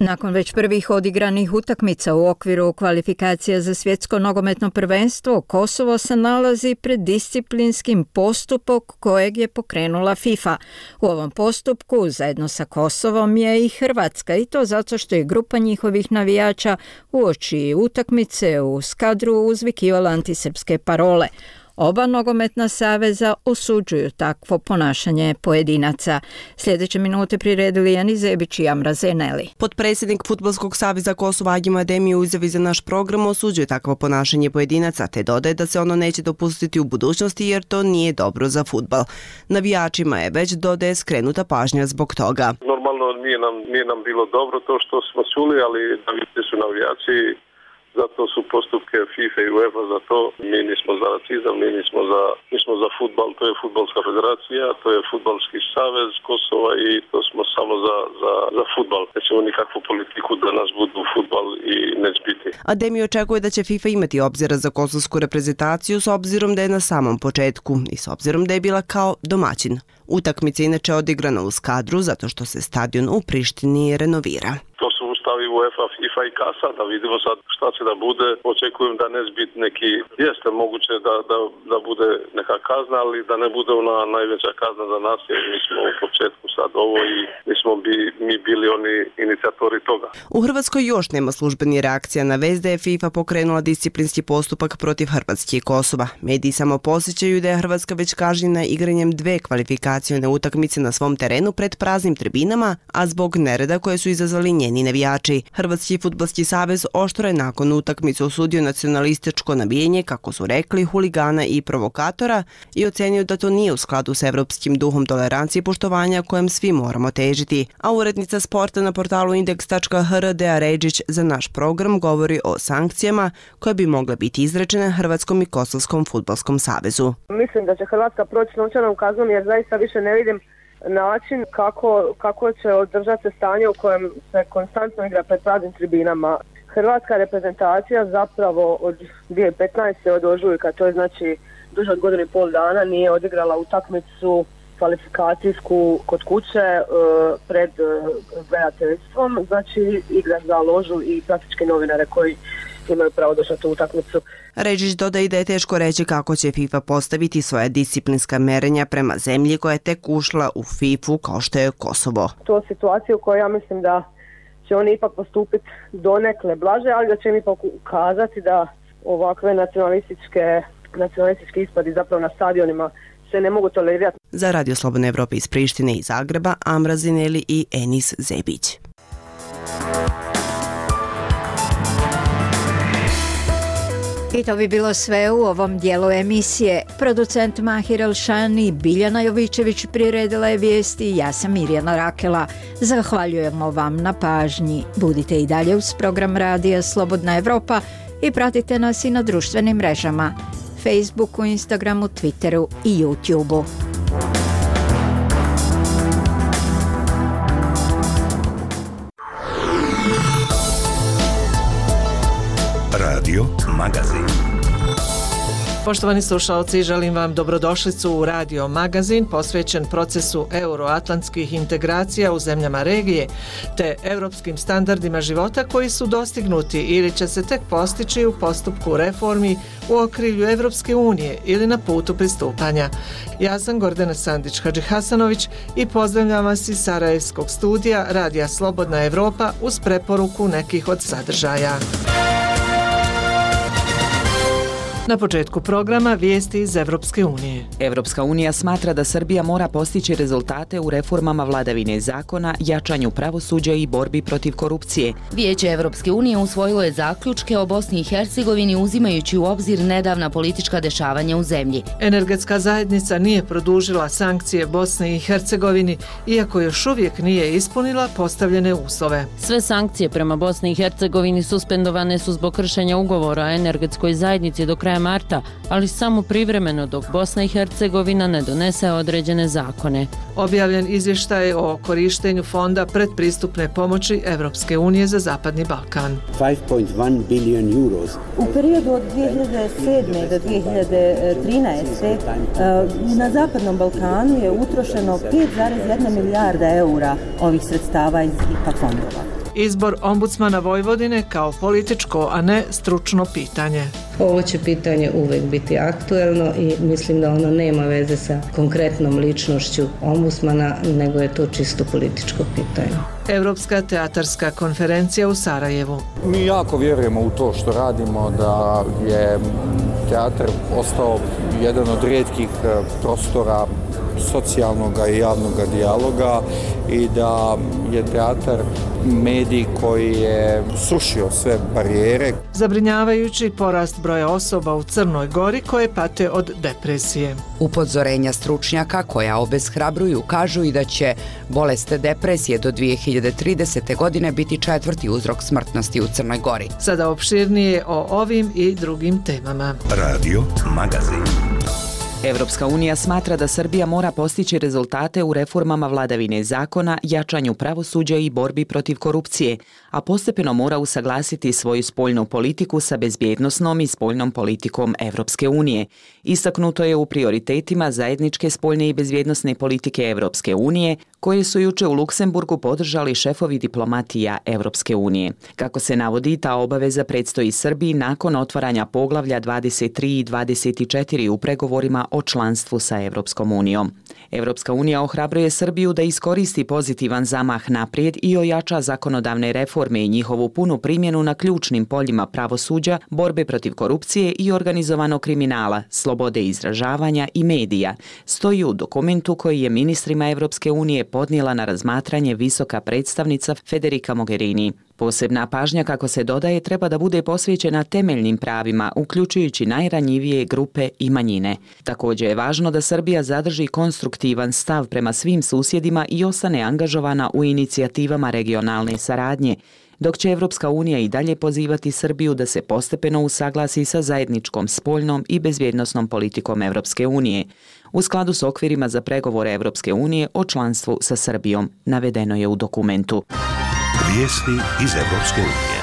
Nakon već prvih odigranih utakmica u okviru kvalifikacija za svjetsko nogometno prvenstvo, Kosovo se nalazi pred disciplinskim postupkom kojeg je pokrenula FIFA. U ovom postupku zajedno sa Kosovom je i Hrvatska, i to zato što je grupa njihovih navijača uoči utakmice u Skadru uzvikivala antisrpske parole. Oba nogometna saveza osuđuju takvo ponašanje pojedinaca. Sljedeće minute priredili Jani Zebić i Amra Zeneli. Potpredsjednik Fudbalskog saveza Kosova Agim Ademi u izjavi za naš program osuđuje takvo ponašanje pojedinaca, te dodaje da se ono neće dopustiti u budućnosti jer to nije dobro za fudbal. Navijačima je već, dodaje, skrenuta pažnja zbog toga. Normalno nije nam bilo dobro to što smo čuli, ali navijači su navijači. Zato su postupke FIFA i UEFA za to. Mi nismo za racizam, mi smo za fudbal, to je fudbalska federacija, to je fudbalski savez Kosova i to smo samo za fudbal. Nećemo nikakvu politiku da nas budu fudbal i neće biti. Ademi očekuje da će FIFA imati obzira za kosovsku reprezentaciju s obzirom da je na samom početku i s obzirom da je bila kao domaćin. Utakmica inače odigrana u Skadru zato što se stadion u Prištini renovira. To su ustavi UEFA, FIFA i KASA, da vidimo sad šta će da bude. Očekujem da ne biti neki, jeste moguće da bude neka kazna, ali da ne bude ona najveća kazna za nas, jer mi smo u početku sad ovo i mi bili oni inicijatori toga. U Hrvatskoj još nema službeni reakcija na vest da je FIFA pokrenula disciplinski postupak protiv Hrvatske i Kosova. Mediji samo posjećaju da je Hrvatska već kažnjena igranjem 2 kvalifikacione utakmice na svom terenu pred praznim tribinama, a zbog nereda koje su izazvali njeni navijači. Hrvatski fudbalski savez oštro je nakon utakmice osudio nacionalističko navijenje, kako su rekli, huligana i provokatora i ocenio da to nije u skladu s evropskim duhom tolerancije i poštovanja kojem svi moramo težiti. A urednica sporta na portalu Index.hr Dea Ređić za naš program govori o sankcijama koje bi mogle biti izrečene Hrvatskom i Kosovskom fudbalskom savezu. Mislim da će Hrvatska proći novčanom kaznom jer zaista više ne vidim način kako će održati stanje u kojem se konstantno igra pred praznim tribinama. Hrvatska reprezentacija zapravo od 2015. od ožujka, to je znači duže od 1,5 godina, nije odigrala utakmicu kvalifikacijsku kod kuće pred gledateljstvom, znači igra za ložu i praktički novinare koji imaju pravo doći na tu utakmicu. Ređić dodaje da je teško reći kako će FIFA postaviti svoja disciplinska merenja prema zemlji koja je tek ušla u FIFA kao što je Kosovo. To je situacija u kojoj ja mislim da će oni ipak postupiti donekle blaže, ali da će im ipak ukazati da ovakve nacionalistički ispadi zapravo na stadionima se ne mogu tolerirati. Za Radio Slobodne Evrope iz Prištine i Zagreba, Amra Zineli i Enis Zebić. I to bi bilo sve u ovom dijelu emisije. Producent Mahir Elšani, Biljana Jovičević priredila je vijesti, ja sam Mirjana Rakela. Zahvaljujemo vam na pažnji. Budite i dalje uz program Radija Slobodna Evropa i pratite nas i na društvenim mrežama, Facebooku, Instagramu, Twitteru i YouTubeu. Radio Magazin. Poštovani slušalci, želim vam dobrodošlicu u Radio Magazin posvećen procesu euroatlantskih integracija u zemljama regije te europskim standardima života koji su dostignuti ili će se tek postići u postupku reformi u okrilju Evropske unije ili na putu pristupanja. Ja sam Gordana Sandić-Hadžihasanović i pozdravljam vas iz Sarajevskog studija Radija Slobodna Evropa uz preporuku nekih od sadržaja. Na početku programa vijesti iz Evropske unije. Evropska unija smatra da Srbija mora postići rezultate u reformama vladavine zakona, jačanju pravosuđa i borbi protiv korupcije. Vijeće Evropske unije usvojilo je zaključke o Bosni i Hercegovini uzimajući u obzir nedavna politička dešavanja u zemlji. Energetska zajednica nije produžila sankcije Bosni i Hercegovini, iako još uvijek nije ispunila postavljene uslove. Sve sankcije prema Bosni i Hercegovini suspendovane su zbog kršenja ugovora o energetskoj zajednici do kraja marta, ali samo privremeno dok Bosna i Hercegovina ne donese određene zakone. Objavljen izvještaj o korištenju fonda predpristupne pomoći Evropske unije za Zapadni Balkan. 5.1 billion euros. U periodu od 2007. do 2013. Na Zapadnom Balkanu je utrošeno 5,1 milijarda eura ovih sredstava iz IPA fondova. Izbor ombudsmana Vojvodine kao političko, a ne stručno pitanje. Ovo će pitanje uvek biti aktuelno i mislim da ono nema veze sa konkretnom ličnošću ombudsmana, nego je to čisto političko pitanje. Evropska teatarska konferencija u Sarajevu. Mi jako vjerujemo u to što radimo, da je teatar ostao jedan od rijetkih prostora socijalnog i javnog dijaloga i da je teatar medij koji je srušio sve barijere. Zabrinjavajući porast broja osoba u Crnoj Gori koje pate od depresije. Upozorenja stručnjaka koja obeshrabruju kažu i da će bolest depresije do 2030. godine biti 4. uzrok smrtnosti u Crnoj Gori. Sada opširnije o ovim i drugim temama. Radio Magazin. Evropska unija smatra da Srbija mora postići rezultate u reformama vladavine zakona, jačanju pravosuđa i borbi protiv korupcije, a postepeno mora usaglasiti svoju spoljnu politiku sa bezbjednosnom i spoljnom politikom Evropske unije. Istaknuto je u prioritetima zajedničke spoljne i bezbjednosne politike Evropske unije, koje su juče u Luksemburgu podržali šefovi diplomatija Evropske unije. Kako se navodi, ta obaveza predstoji Srbiji nakon otvaranja poglavlja 23 i 24 u pregovorima o članstvu sa Evropskom unijom. Evropska unija ohrabruje Srbiju da iskoristi pozitivan zamah naprijed i ojača zakonodavne reforme i njihovu punu primjenu na ključnim poljima pravosuđa, borbe protiv korupcije i organizovanog kriminala, slobode izražavanja i medija, stoji u dokumentu koji je ministrima Evropske unije podnijela na razmatranje visoka predstavnica Federica Mogherini. Posebna pažnja, kako se dodaje, treba da bude posvećena temeljnim pravima, uključujući najranjivije grupe i manjine. Također je važno da Srbija zadrži konstruktivan stav prema svim susjedima i ostane angažovana u inicijativama regionalne saradnje, dok će Evropska unija i dalje pozivati Srbiju da se postepeno usaglasi sa zajedničkom spoljnom i bezbjednosnom politikom Evropske unije, u skladu s okvirima za pregovore Evropske unije o članstvu sa Srbijom, navedeno je u dokumentu. Vijesti iz Evropske unije.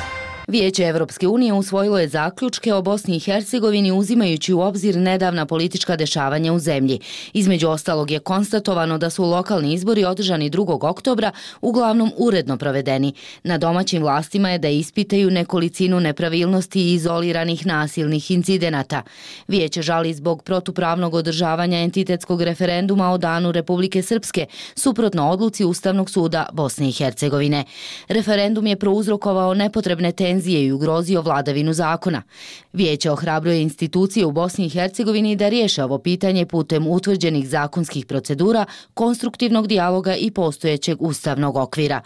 Vijeće Evropske unije usvojilo je zaključke o Bosni i Hercegovini uzimajući u obzir nedavna politička dešavanja u zemlji. Između ostalog je konstatovano da su lokalni izbori održani 2. oktobra uglavnom uredno provedeni. Na domaćim vlastima je da ispitaju nekolicinu nepravilnosti i izoliranih nasilnih incidenata. Vijeće žali zbog protupravnog održavanja entitetskog referenduma o danu Republike Srpske, suprotno odluci Ustavnog suda Bosne i Hercegovine. Referendum je prouzrokovao nepotrebne tenzije i ugrozio vladavinu zakona. Vijeće ohrabruje institucije u Bosni i Hercegovini da riješe ovo pitanje putem utvrđenih zakonskih procedura, konstruktivnog dijaloga i postojećeg ustavnog okvira.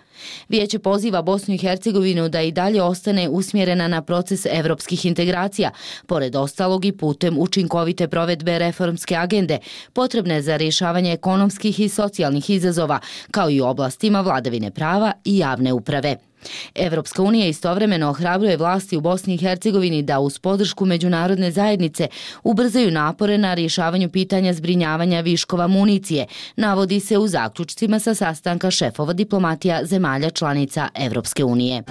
Vijeće poziva Bosnu i Hercegovinu da i dalje ostane usmjerena na proces evropskih integracija, pored ostalog i putem učinkovite provedbe reformske agende, potrebne za rješavanje ekonomskih i socijalnih izazova, kao i u oblastima vladavine prava i javne uprave. Evropska unija istovremeno ohrabruje vlasti u Bosni i Hercegovini da uz podršku međunarodne zajednice ubrzaju napore na rješavanju pitanja zbrinjavanja viškova municije, navodi se u zaključcima sa sastanka šefova diplomatija zemalja članica Evropske unije.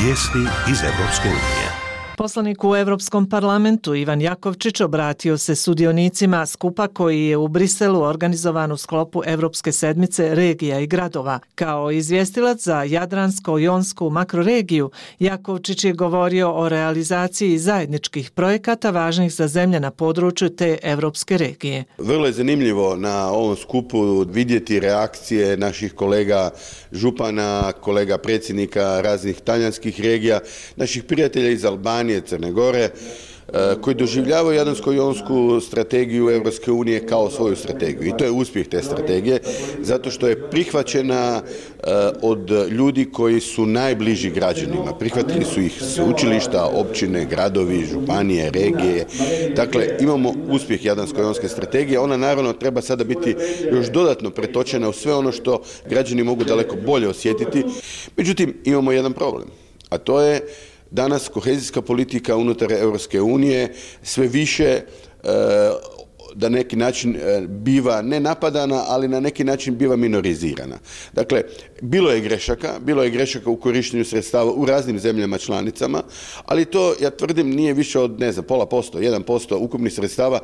Vijesti iz Evropske unije. Poslanik u Evropskom parlamentu Ivan Jakovčić obratio se sudionicima skupa koji je u Briselu organizovan u sklopu Evropske sedmice regija i gradova. Kao izvjestilac za Jadransko-jonsku makroregiju, Jakovčić je govorio o realizaciji zajedničkih projekata važnih za zemlje na području te evropske regije. Vrlo je zanimljivo na ovom skupu vidjeti reakcije naših kolega župana, kolega predsjednika raznih talijanskih regija, naših prijatelja iz Albanije, Crne Gore, koji doživljavaju Jadransko-jonsku strategiju Europske unije kao svoju strategiju. I to je uspjeh te strategije, zato što je prihvaćena od ljudi koji su najbliži građanima. Prihvatili su ih sveučilišta, općine, gradovi, županije, regije. Dakle, imamo uspjeh Jadransko-jonske strategije. Ona naravno treba sada biti još dodatno pretočena u sve ono što građani mogu daleko bolje osjetiti. Međutim, imamo jedan problem, a to je danas kohezijska politika unutar Europske unije sve više da neki način biva ne napadana, ali na neki način biva minorizirana. Dakle, bilo je grešaka u korištenju sredstava u raznim zemljama članicama, ali to, ja tvrdim, nije više od, 0,5%, 1% ukupnih sredstava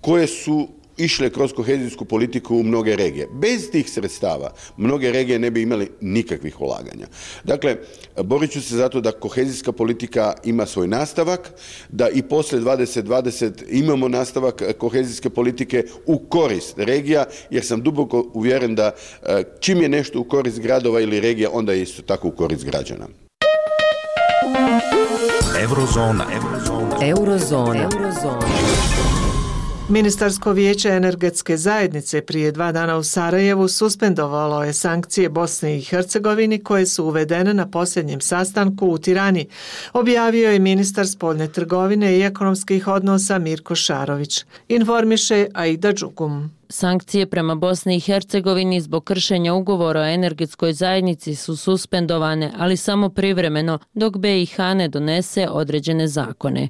koje su išle kroz kohezijsku politiku u mnoge regije. Bez tih sredstava mnoge regije ne bi imali nikakvih ulaganja. Dakle, borit ću se zato da kohezijska politika ima svoj nastavak, da i poslije 2020 imamo nastavak kohezijske politike u korist regija, jer sam duboko uvjeren da čim je nešto u korist gradova ili regija, onda je isto tako u korist građana. Eurozona. Ministarsko vijeće energetske zajednice prije 2 dana u Sarajevu suspendovalo je sankcije Bosni i Hercegovini koje su uvedene na posljednjem sastanku u Tirani, objavio je ministar spoljne trgovine i ekonomskih odnosa Mirko Šarović. Informiše Aida Đugum. Sankcije prema Bosni i Hercegovini zbog kršenja ugovora o energetskoj zajednici su suspendovane, ali samo privremeno, dok BiH ne donese određene zakone.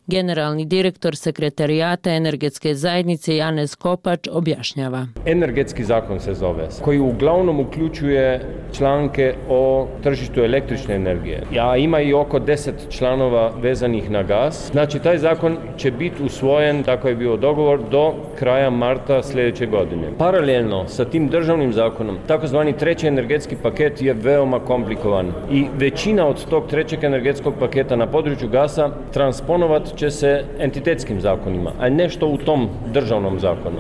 Generalni direktor sekretarijata energetske zajednice Janez Kopač objašnjava. Energetski zakon se zove, koji uglavnom uključuje članke o tržištu električne energije. A ima i oko 10 članova vezanih na gas. Znači, taj zakon će biti usvojen, tako je bio dogovor, do kraja marta sljedeće godine. Paralelno sa tim državnim zakonom, takozvani treći energetski paket je veoma komplikovan i većina od tog trećeg energetskog paketa na području gasa transponovat će se entitetskim zakonima, a nešto u tom državnom zakonu.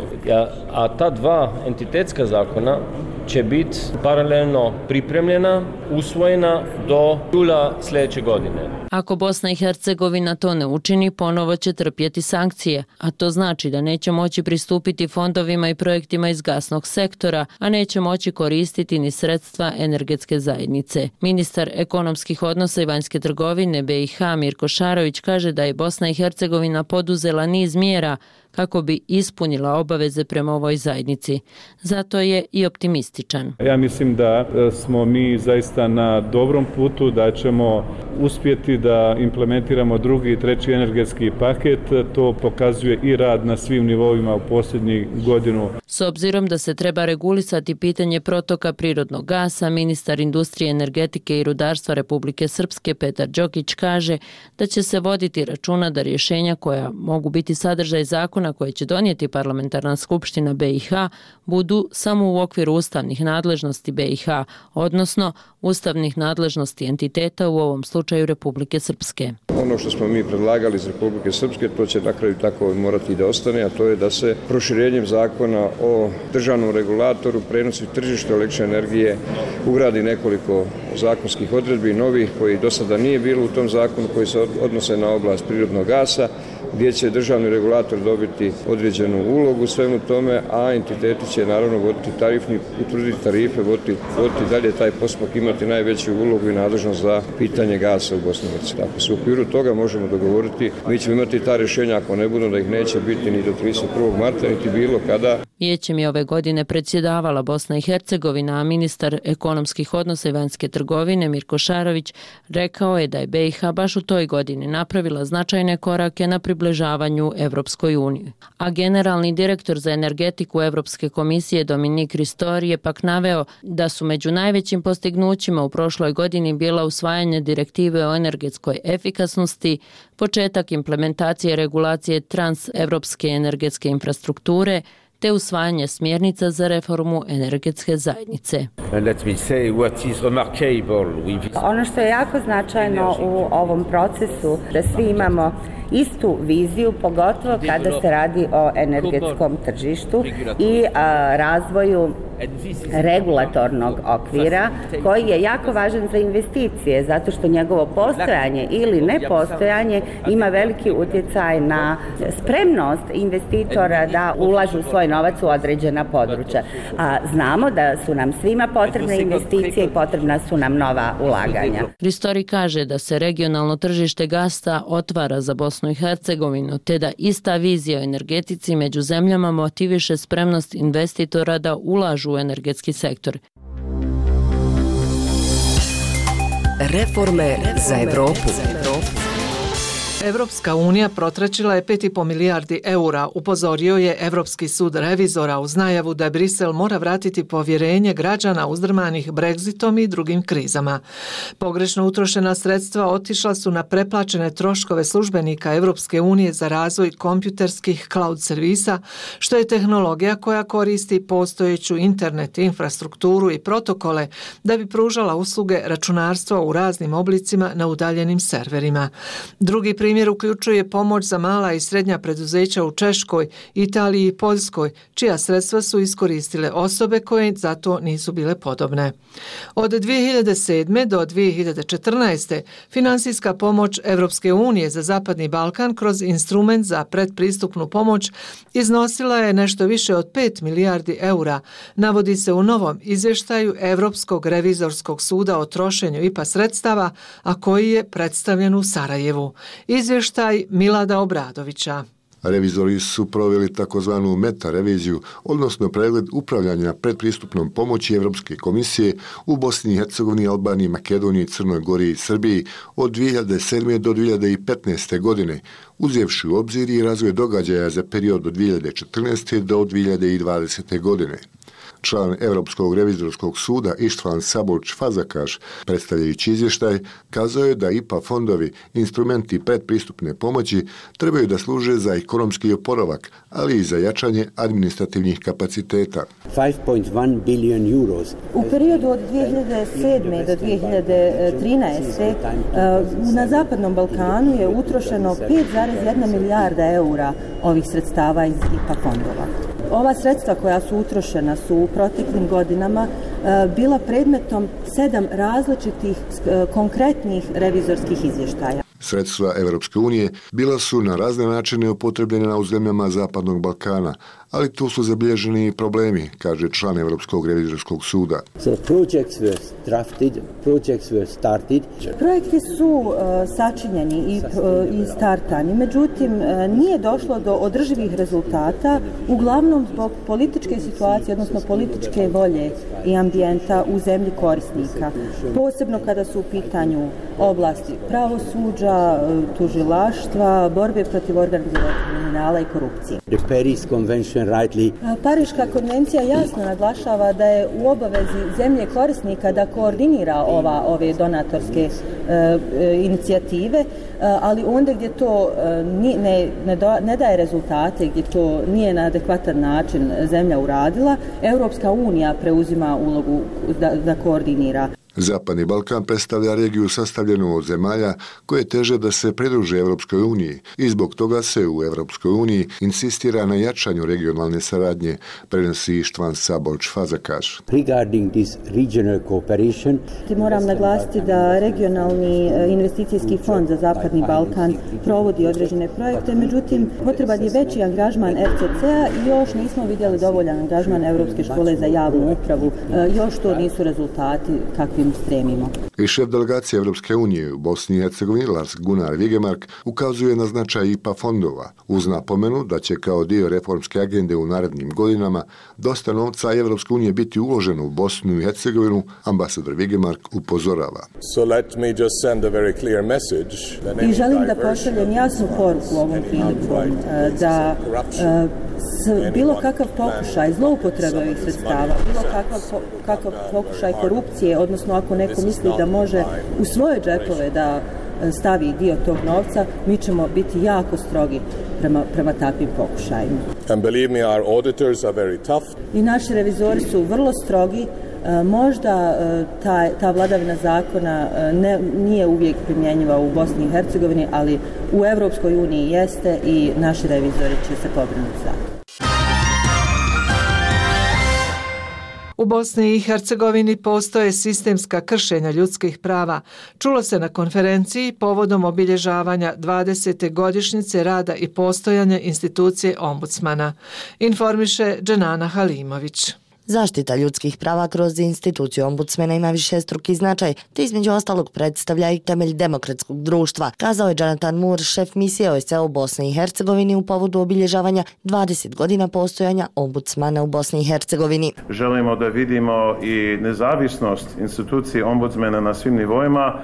A ta 2 entitetska zakona će biti paralelno pripremljena, usvojena do jula sljedeće godine. Ako Bosna i Hercegovina to ne učini, ponovo će trpjeti sankcije, a to znači da neće moći pristupiti fondovima i projektima iz gasnog sektora, a neće moći koristiti ni sredstva energetske zajednice. Ministar ekonomskih odnosa i vanjske trgovine BiH Mirko Šarović kaže da je Bosna i Hercegovina poduzela niz mjera kako bi ispunila obaveze prema ovoj zajednici. Zato je i optimističan. Ja mislim da smo mi zaista na dobrom putu, da ćemo uspjeti da implementiramo drugi i treći energetski paket. To pokazuje i rad na svim nivoima u posljednjih godinu. S obzirom da se treba regulisati pitanje protoka prirodnog gasa, ministar industrije, energetike i rudarstva Republike Srpske Petar Đokić kaže da će se voditi računa da rješenja koja mogu biti sadržaj zakona koje će donijeti parlamentarna skupština BiH budu samo u okviru ustavnih nadležnosti BiH, odnosno ustavnih nadležnosti entiteta, u ovom slučaju Republike Srpske. Ono što smo mi predlagali iz Republike Srpske, to će na kraju tako morati da ostane, a to je da se proširenjem zakona o državnom regulatoru prenosi tržište električne energije ugradi nekoliko zakonskih odredbi novih koji do sada nije bilo u tom zakonu, koji se odnose na oblast prirodnog gasa, gdje će državni regulator dobiti određenu ulogu u svemu tome, a entiteti će naravno voditi tarifni, utvrditi tarife, voditi dalje taj postupak, imati najveću ulogu i nadležnost za pitanje gasa u Bosni i Hercegovini. Ako se u okviru toga možemo dogovoriti, mi ćemo imati ta rješenja, ako ne budu, da ih neće biti ni do 31. marta, niti bilo kada. Vijećem je ove godine predsjedavala Bosna i Hercegovina, a ministar ekonomskih odnosa i vanjske trgovine Mirko Šarović rekao je da je BiH baš u toj godini napravila značajne korake na približavanju Evropskoj uniji. A generalni direktor za energetiku Evropske komisije Dominik Ristori je pak naveo da su među najvećim postignućima u prošloj godini bila usvajanje direktive o energetskoj efikasnosti, početak implementacije regulacije transevropske energetske infrastrukture, te usvajanje smjernica za reformu energetske zajednice. Ono što je jako značajno u ovom procesu, da svi imamo istu viziju, pogotovo kada se radi o energetskom tržištu i razvoju regulatornog okvira koji je jako važan za investicije, zato što njegovo postojanje ili nepostojanje ima veliki utjecaj na spremnost investitora da ulažu svoj novac u određena područja. A znamo da su nam svima potrebne investicije i potrebna su nam nova ulaganja. Ristori kaže da se regionalno tržište gasa otvara za Bosnu i Hercegovinu, te da ista vizija o energetici među zemljama motiviše spremnost investitora da ulažu u energetski sektor. Reforme za Evropu. Evropska unija protračila je 5,5 milijardi eura, upozorio je Evropski sud revizora uz najavu da Brisel mora vratiti povjerenje građana uzdrmanih Brexitom i drugim krizama. Pogrešno utrošena sredstva otišla su na preplaćene troškove službenika Evropske unije za razvoj kompjuterskih cloud servisa, što je tehnologija koja koristi postojeću internet infrastrukturu i protokole da bi pružala usluge računarstva u raznim oblicima na udaljenim serverima. Drugi primjer uključuje pomoć za mala i srednja preduzeća u Češkoj, Italiji i Poljskoj, čija sredstva su iskoristile osobe koje za to nisu bile podobne. Od 2007. do 2014. finansijska pomoć Evropske unije za Zapadni Balkan kroz instrument za predpristupnu pomoć iznosila je nešto više od 5 milijardi eura, navodi se u novom izvještaju Evropskog revizorskog suda o trošenju IPA sredstava, a koji je predstavljen u Sarajevu. Izvještaj Milada Obradovića. Revizori su proveli takozvanu meta-reviziju, odnosno pregled upravljanja predpristupnom pomoći Evropske komisije u Bosni i Hercegovini, Albaniji, Makedoniji, Crnoj Gori i Srbiji od 2007. do 2015. godine, uzevši u obzir i razvoj događaja za period od 2014. do 2020. godine. Član Europskog revizorskog suda Ištvan Sabolč Fazakaš, predstavljajući izvještaj, kazao je da IPA fondovi, instrumenti predpristupne pomoći, trebaju da služe za ekonomski oporavak, ali i za jačanje administrativnih kapaciteta. 5.1 billion euros. U periodu od 2007. do 2013. na Zapadnom Balkanu je utrošeno 5,1 milijarda eura ovih sredstava iz IPA fondova. Ova sredstva koja su utrošena su u proteklim godinama bila predmetom 7 različitih konkretnih revizorskih izvještaja. Sredstva Evropske unije bila su na razne načine upotrebljena u zemljama Zapadnog Balkana, ali tu su zabilježeni problemi, kaže član Evropskog revizorskog suda. Projekti su sačinjeni i startani, međutim nije došlo do održivih rezultata, uglavnom zbog političke situacije, odnosno političke volje i ambijenta u zemlji korisnika. Posebno kada su u pitanju oblasti pravosuđa, tužilaštva, borbe protiv organiziranog kriminala i korupcije. Pariška konvencija jasno naglašava da je u obavezi zemlje korisnika da koordinira ove donatorske inicijative, ali onda gdje to ne daje rezultate, gdje to nije na adekvatan način zemlja uradila, Europska unija preuzima ulogu da koordinira. Zapadni Balkan predstavlja regiju sastavljenu od zemalja koje teže da se pridruže Evropskoj uniji i zbog toga se u Evropskoj uniji insistira na jačanju regionalne saradnje, prenosi Ištvan Sabolč-Fazakaš. Moram naglasiti da regionalni investicijski fond za Zapadni Balkan provodi određene projekte, međutim potreban je veći angažman RCC-a i još nismo vidjeli dovoljan angažman Europske škole za javnu upravu. Još to nisu rezultati kakvi stremimo. I šef delegacije Evropske unije u Bosni i Hercegovini Lars Gunnar Vigemark ukazuje na značaj IPA fondova uz napomenu da će kao dio reformske agende u narednim godinama dosta novca Evropske unije biti uloženo u Bosnu i Hercegovinu, ambasador Vigemark upozorava. I želim da pošaljem jasnu poruku ovom prilikom da bilo kakav pokušaj zloupotrebe ovih sredstava, bilo kakav pokušaj korupcije, odnosno ako neko misli da može u svoje džepove da stavi dio tog novca, mi ćemo biti jako strogi prema takvim pokušajima. I naši revizori su vrlo strogi. Možda ta vladavina zakona nije uvijek primjenjiva u Bosni i Hercegovini, ali u Evropskoj uniji jeste i naši revizori će se pobrinuti za to. U Bosni i Hercegovini postoje sistemska kršenja ljudskih prava. Čulo se na konferenciji povodom obilježavanja 20. godišnjice rada i postojanja institucije ombudsmana. Informiše Dženana Halimović. Zaštita ljudskih prava kroz instituciju ombudsmana ima višestruki značaj, te između ostalog predstavlja i temelj demokratskog društva, kazao je Jonathan Moore, šef misije OSCE u Bosni i Hercegovini u povodu obilježavanja 20 godina postojanja ombudsmana u Bosni i Hercegovini. Želimo da vidimo i nezavisnost institucije ombudsmana na svim nivoima,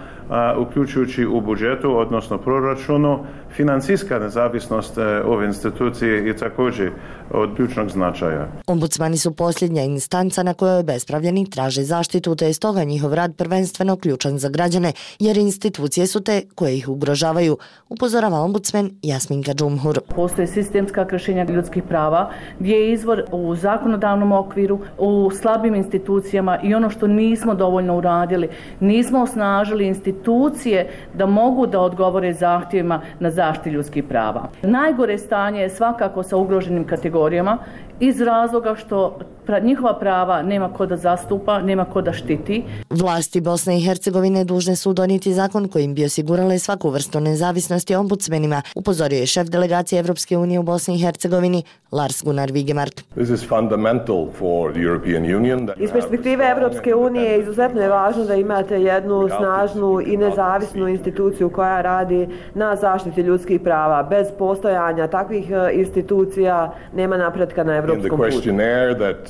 uključujući u budžetu, odnosno proračunu. Financijska nezavisnost ove institucije je također od ključnog značaja. Ombudsmani su posljednja instanca na kojoj obespravljeni traže zaštitu, te je stoga njihov rad prvenstveno ključan za građane, jer institucije su te koje ih ugrožavaju, upozorava ombudsman Jasminka Džumhur. Postoje sistemska kršenja ljudskih prava, gdje je izvor u zakonodavnom okviru, u slabim institucijama i ono što nismo dovoljno uradili, nismo osnažili institucije da mogu da odgovore zahtjevima na zaštitu ljudskih prava. Najgore stanje je svakako sa ugroženim kategorijama iz razloga što njihova prava nema ko da zastupa, nema ko da štiti. Vlasti Bosne i Hercegovine dužne su donijeti zakon kojim bi osigurale svaku vrstu nezavisnosti ombudsmenima, upozorio je šef delegacije Evropske unije u Bosni i Hercegovini Lars Gunnar Vigemark. Iz perspektive Evropske unije izuzetno je važno da imate jednu snažnu i nezavisnu instituciju koja radi na zaštiti ljudskih prava. Bez postojanja takvih institucija nema napretka na evropskom putu.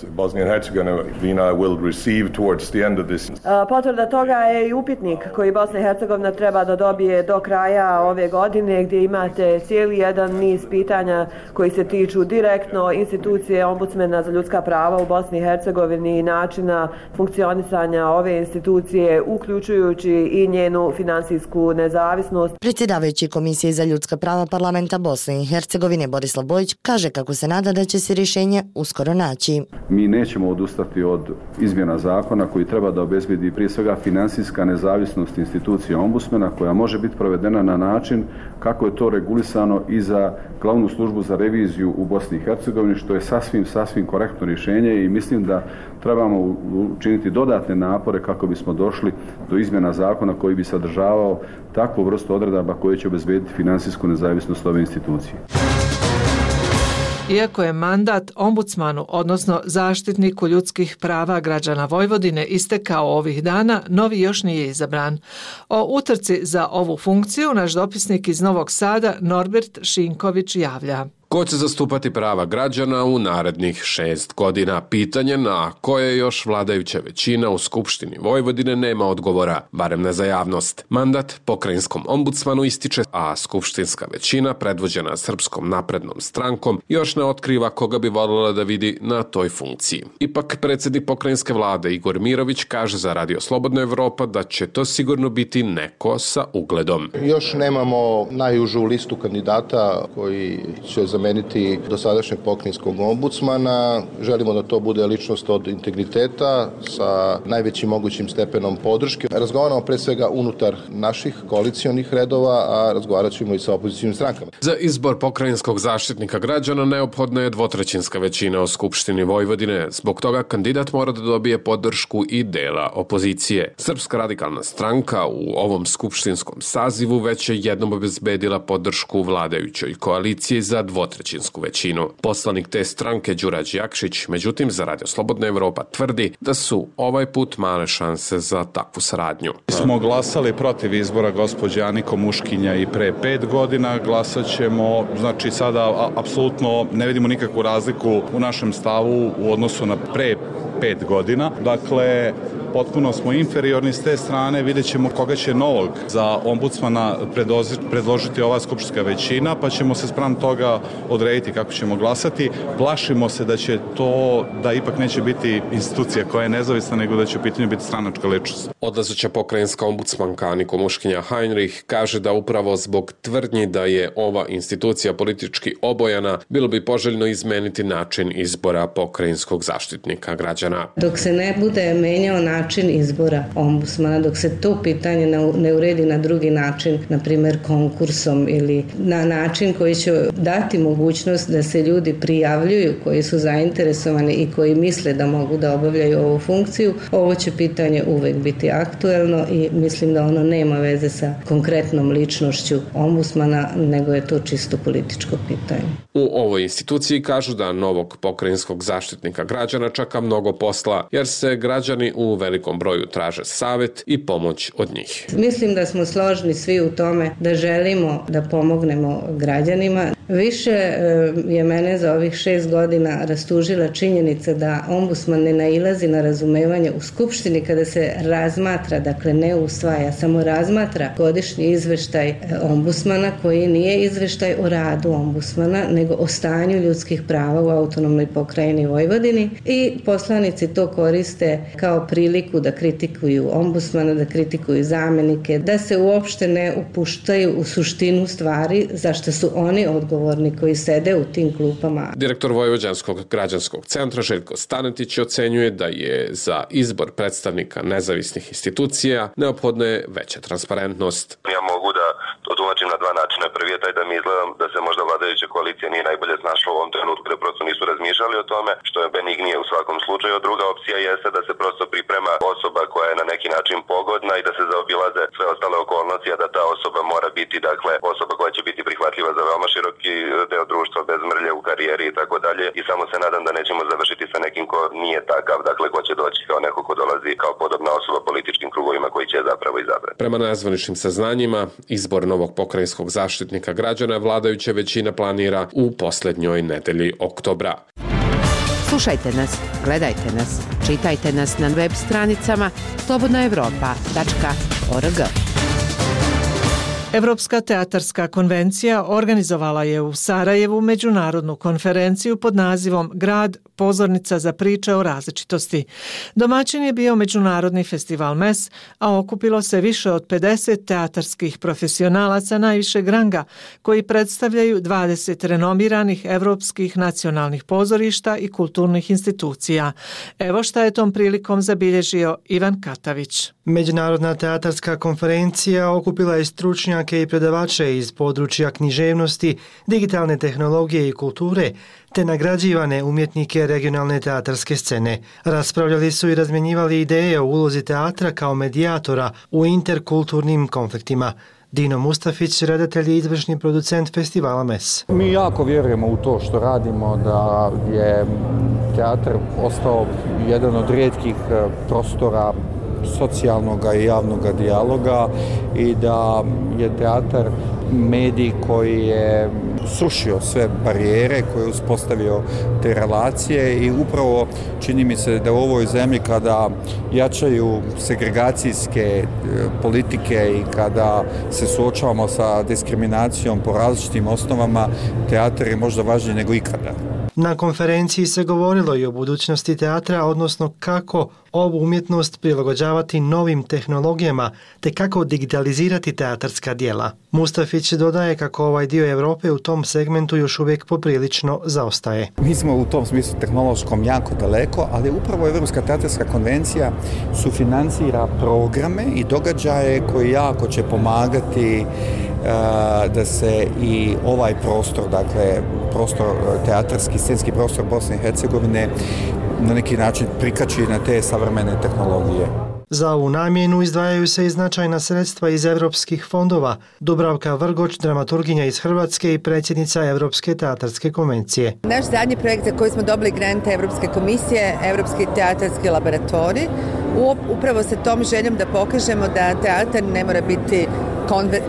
Bosnia and Herzegovina will receive towards the end of this. Potvrda toga je i upitnik koji Bosna i Hercegovina treba da dobije do kraja ove godine, gdje imate cijeli jedan niz pitanja koji se tiču direktno institucije ombudsmena za ljudska prava u Bosni i Hercegovini i načina funkcionisanja ove institucije, uključujući i njenu finansijsku nezavisnost. Predsjedavajući Komisije za ljudska prava Parlamenta Bosne i Hercegovine Borislav Bojić kaže kako se nada da će se rješenje uskoro naći. Mi nećemo odustati od izmjena zakona koji treba da obezbedi prije svega finansijska nezavisnost institucije ombudsmana koja može biti provedena na način kako je to regulisano i za glavnu službu za reviziju u Bosni i Hercegovini, što je sasvim korektno rješenje i mislim da trebamo učiniti dodatne napore kako bismo došli do izmjena zakona koji bi sadržavao takvu vrstu odredaba koje će obezbediti finansijsku nezavisnost ove institucije. Iako je mandat ombudsmanu, odnosno zaštitniku ljudskih prava građana Vojvodine istekao ovih dana, novi još nije izabran. O utrci za ovu funkciju naš dopisnik iz Novog Sada Norbert Šinković javlja. Ko će zastupati prava građana u narednih 6 godina? Pitanje na koje još vladajuća većina u Skupštini Vojvodine nema odgovora, barem ne za javnost. Mandat pokrajinskom ombudsmanu ističe, a skupštinska većina, predvođena Srpskom naprednom strankom, još ne otkriva koga bi voljela da vidi na toj funkciji. Ipak predsjednik pokrajinske vlade Igor Mirović kaže za Radio Slobodna Evropa da će to sigurno biti neko sa ugledom. Još nemamo najužu listu kandidata koji će zameniti dosadašnjeg pokrajinskog ombudsmana. Želimo da to bude ličnost od integriteta sa najvećim mogućim stepenom podrške. Razgovaramo pre svega unutar naših koalicijonih redova, a razgovarat ćemo i sa opozicijnim strankama. Za izbor pokrajinskog zaštitnika građana neophodna je 2/3 većina u Skupštini Vojvodine. Zbog toga kandidat mora da dobije podršku i dela opozicije. Srpska radikalna stranka u ovom skupštinskom sazivu već je jednom obezbedila podršku vladajućoj koaliciji za 2/3 većinu. Poslanik te stranke Đurađ Jakšić, međutim, za Radio Slobodna Evropa tvrdi da su ovaj put male šanse za takvu saradnju. Smo glasali protiv izbora gospođe Ani Komuškinja i pre 5 godina, glasat ćemo, znači sada apsolutno ne vidimo nikakvu razliku u našem stavu u odnosu na pre 5 godina. Dakle, potpuno smo inferiorni s te strane, vidjet ćemo koga će novog za ombudsmana predložiti ova skupštinska većina, pa ćemo se spram toga odrediti kako ćemo glasati. Plašimo se da će to, da ipak neće biti institucija koja je nezavisna, nego da će u pitanju biti stranačka ličnost. Odlazeća pokrajinska ombudsmanka Ani Komuškinja Heinrich kaže da upravo zbog tvrdnji da je ova institucija politički obojana, bilo bi poželjno izmeniti način izbora pokrajinskog zaštitnika građana. Dok se ne bude menjao način izbora ombudsmana, dok se to pitanje ne uredi na drugi način, na primjer konkursom ili na način koji će dati mogućnost da se ljudi prijavljuju koji su zainteresovani i koji misle da mogu da obavljaju ovu funkciju, ovo će pitanje uvek biti aktuelno i mislim da ono nema veze sa konkretnom ličnošću ombudsmana, nego je to čisto političko pitanje. U ovoj instituciji kažu da novog pokrajinskog zaštitnika građana čeka mnogo posla, jer se građani u velikom broju traže savjet i pomoć od njih. Mislim da smo složni svi u tome da želimo da pomognemo građanima. Više je mene za ovih 6 godina rastužila činjenica da ombudsman ne nailazi na razumevanje u Skupštini kada se razmatra, dakle ne usvaja, samo razmatra godišnji izveštaj ombudsmana koji nije izveštaj o radu ombudsmana, nego o stanju ljudskih prava u autonomnoj pokrajini Vojvodini i poslanici to koriste kao priliku da kritikuju ombudsmana, da kritikuju zamenike, da se uopšte ne upuštaju u suštinu stvari za što su oni odgovorni koji sede u tim klupama. Direktor Vojvođanskog građanskog centra Željko Stanetić ocenjuje da je za izbor predstavnika nezavisnih institucija neophodna je veća transparentnost. Ja mogu da to tumačim na dva načina. Prvi je taj da mi izgledam da se možda vladajuća koalicija nije najbolje snašla u ovom trenutku, da prosto nisu razmišljali o tome, što je benignije u svakom slučaju. Druga opcija jeste da se prosto priprema osoba koja je na neki način pogodna i da se zaobilaze sve ostale okolnosti, a da ta osoba mora biti, dakle, osoba koja će biti prihvatljiva za veoma široki deo društva, bez mrlje u karijeri i tako dalje. I samo se nadam da nećemo završiti sa nekim ko nije takav, dakle, ko će doći kao neko ko dolazi kao podobna osoba političkim krugovima koji će zapravo izabrati. Prema nezvaničnim saznanjima, izbor novog pokrajinskog zaštitnika građana vladajuća većina planira u posljednjoj nedelji oktobra. Slušajte nas, gledajte nas, čitajte nas na web stranicama slobodnaevropa.org. Evropska teatarska konvencija organizovala je u Sarajevu međunarodnu konferenciju pod nazivom Grad, pozornica za priče o različitosti. Domaćin je bio Međunarodni festival MES, a okupilo se više od 50 teatarskih profesionalaca najvišeg ranga, koji predstavljaju 20 renomiranih evropskih nacionalnih pozorišta i kulturnih institucija. Evo šta je tom prilikom zabilježio Ivan Katavić. Međunarodna teatarska konferencija okupila je stručnjake i predavače iz područja književnosti, digitalne tehnologije i kulture, te nagrađivane umjetnike regionalne teatarske scene. Raspravljali su i razmjenjivali ideje o ulozi teatra kao medijatora u interkulturnim konfliktima. Dino Mustafić, redatelj i izvršni producent festivala MES. Mi jako vjerujemo u to što radimo, da je teatar ostao jedan od rijetkih prostora socijalnog i javnog dijaloga i da je teatar medij koji je srušio sve barijere, koji je uspostavio te relacije i upravo čini mi se da u ovoj zemlji kada jačaju segregacijske politike i kada se suočavamo sa diskriminacijom po različitim osnovama, teatar je možda važniji nego ikada. Na konferenciji se govorilo i o budućnosti teatra, odnosno kako ovu umjetnost prilagođavati novim tehnologijama, te kako digitalizirati teatarska djela. Mustafić dodaje kako ovaj dio Europe u tom segmentu još uvijek poprilično zaostaje. Mi smo u tom smislu tehnološkom jako daleko, ali upravo Evropska teatarska konvencija sufinancira programe i događaje koji jako će pomagati da se i ovaj prostor, dakle prostor teatarski, scenski prostor Bosne i Hercegovine na neki način prikači na te savremene tehnologije. Za ovu namjenu izdvajaju se i značajna sredstva iz evropskih fondova. Dubravka Vrgoč, dramaturginja iz Hrvatske i predsjednica Evropske teatarske konvencije. Naš zadnji projekt za koji smo dobili grante Evropske komisije, Evropski teatarski laboratorij, upravo sa tom željom da pokažemo da teatar ne mora biti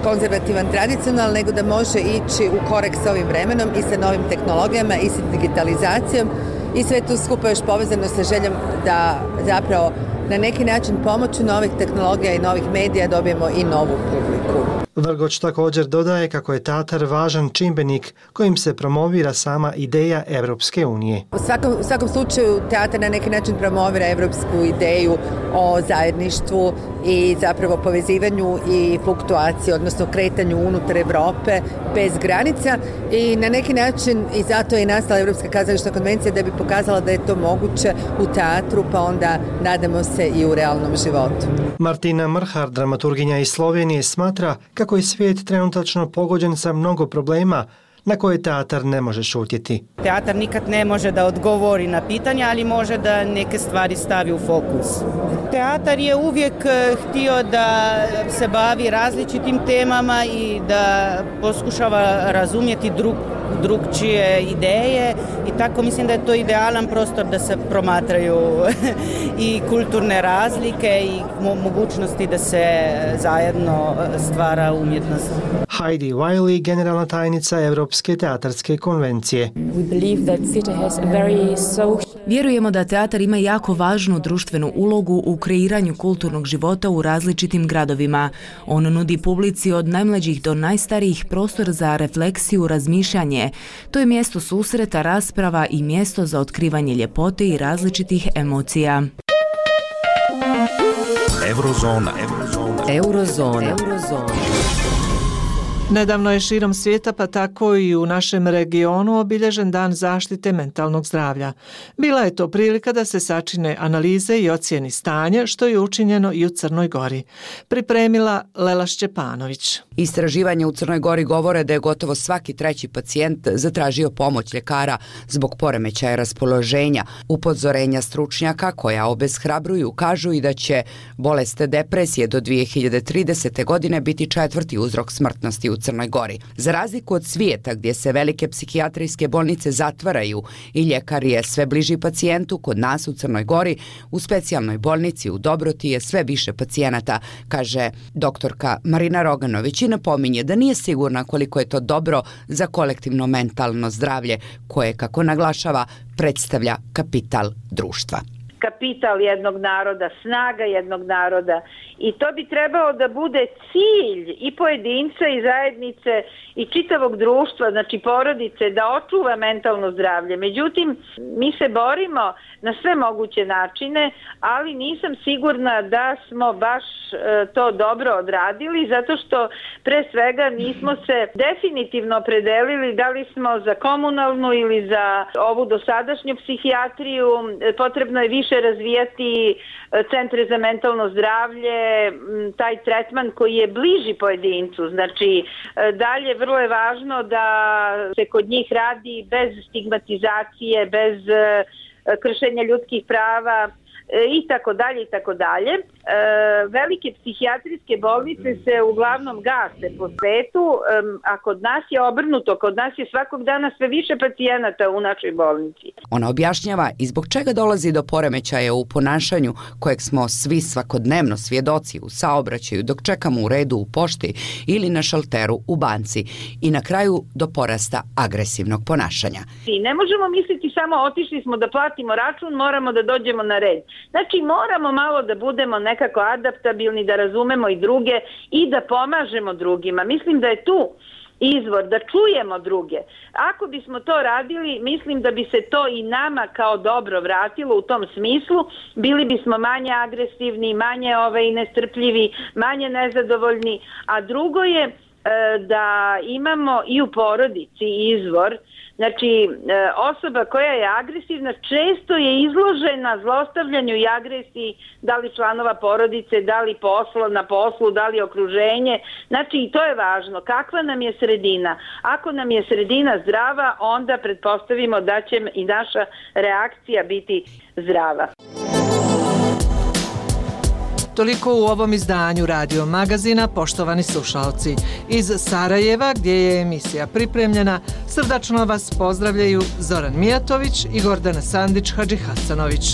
konzervativan, tradicionalan, nego da može ići u korak sa ovim vremenom i sa novim tehnologijama i sa digitalizacijom i sve to skupa još povezano sa željom da zapravo na neki način pomoću novih tehnologija i novih medija dobijemo i novu publiku. Vrgoč također dodaje kako je teatar važan čimbenik kojim se promovira sama ideja Evropske unije. U svakom slučaju teatar na neki način promovira evropsku ideju o zajedništvu i zapravo povezivanju i fluktuaciji, odnosno kretanju unutar Evrope bez granica i na neki način i zato je nastala Evropska kazališna konvencija da bi pokazala da je to moguće u teatru, pa onda nadamo se i u realnom životu. Martina Mrhar, dramaturginja iz Slovenije, smatra kako je svijet trenutačno pogođen sa mnogo problema na koje teatar ne može šutjeti. Teatar nikad ne može da odgovori na pitanja, ali može da neke stvari stavi u fokus. Teatar je uvijek htio da se bavi različitim temama i da poskušava razumjeti drugčije ideje i tako mislim da je to idealan prostor da se promatraju i kulturne razlike i mogućnosti da se zajedno stvara umjetnost. Heidi Wiley, generalna tajnica Evropske teatarske konvencije. Vjerujemo da teatar ima jako važnu društvenu ulogu u kreiranju kulturnog života u različitim gradovima. On nudi publici od najmlađih do najstarijih prostor za refleksiju, razmišljanje. To je mjesto susreta, rasprava i mjesto za otkrivanje ljepote i različitih emocija. Eurozona. Nedavno je širom svijeta, pa tako i u našem regionu, obilježen dan zaštite mentalnog zdravlja. Bila je to prilika da se sačine analize i ocijeni stanje, što je učinjeno i u Crnoj Gori. Pripremila Lela Šćepanović. Istraživanje u Crnoj Gori govore da je gotovo svaki treći pacijent zatražio pomoć ljekara zbog poremećaja raspoloženja. Upozorenja stručnjaka koja obeshrabruju kažu i da će bolest depresije do 2030. godine biti 4. uzrok smrtnosti u Crnoj Gori. Za razliku od svijeta gdje se velike psihijatrijske bolnice zatvaraju i ljekar je sve bliži pacijentu, kod nas u Crnoj Gori u specijalnoj bolnici u Dobroti je sve više pacijenata, kaže doktorka Marina Roganović i napominje da nije sigurna koliko je to dobro za kolektivno mentalno zdravlje koje, kako naglašava, predstavlja kapital društva. Kapital jednog naroda, snaga jednog naroda i to bi trebalo da bude cilj i pojedinca i zajednice i čitavog društva, znači porodice, da očuva mentalno zdravlje. Međutim, mi se borimo na sve moguće načine, ali nisam sigurna da smo baš to dobro odradili, zato što pre svega nismo se definitivno opredelili da li smo za komunalnu ili za ovu dosadašnju psihijatriju. Potrebno je više razvijati centre za mentalno zdravlje, taj tretman koji je bliži pojedincu. Znači, dalje vrlo je važno da se kod njih radi bez stigmatizacije, bez kršenja ljudskih prava i tako dalje i tako dalje. velike psihijatrijske bolnice se uglavnom gase po svetu, a kod nas je obrnuto, kod nas je svakog dana sve više pacijenata u našoj bolnici. Ona objašnjava i zbog čega dolazi do poremećaja u ponašanju kojeg smo svi svakodnevno svjedoci u saobraćaju dok čekamo u redu u pošti ili na šalteru u banci i na kraju do porasta agresivnog ponašanja. Ne možemo misliti samo otišli smo da platimo račun, moramo da dođemo na red. Znači moramo malo da budemo nekako adaptabilni, da razumemo i druge i da pomažemo drugima. Mislim da je tu izvor, da čujemo druge. Ako bismo to radili, mislim da bi se to i nama kao dobro vratilo u tom smislu. Bili bismo manje agresivni, manje nestrpljivi, manje nezadovoljni. A drugo je da imamo i u porodici izvor. Znači, osoba koja je agresivna često je izložena zlostavljanju i agresiji, da li članova porodice, da li na poslu, da li okruženje. Znači, i to je važno. Kakva nam je sredina? Ako nam je sredina zdrava, onda pretpostavimo da će i naša reakcija biti zdrava. Toliko u ovom izdanju Radio Magazina, poštovani slušalci. Iz Sarajeva, gdje je emisija pripremljena, srdačno vas pozdravljaju Zoran Mijatović i Gordana Sandić-Hadžihasanović.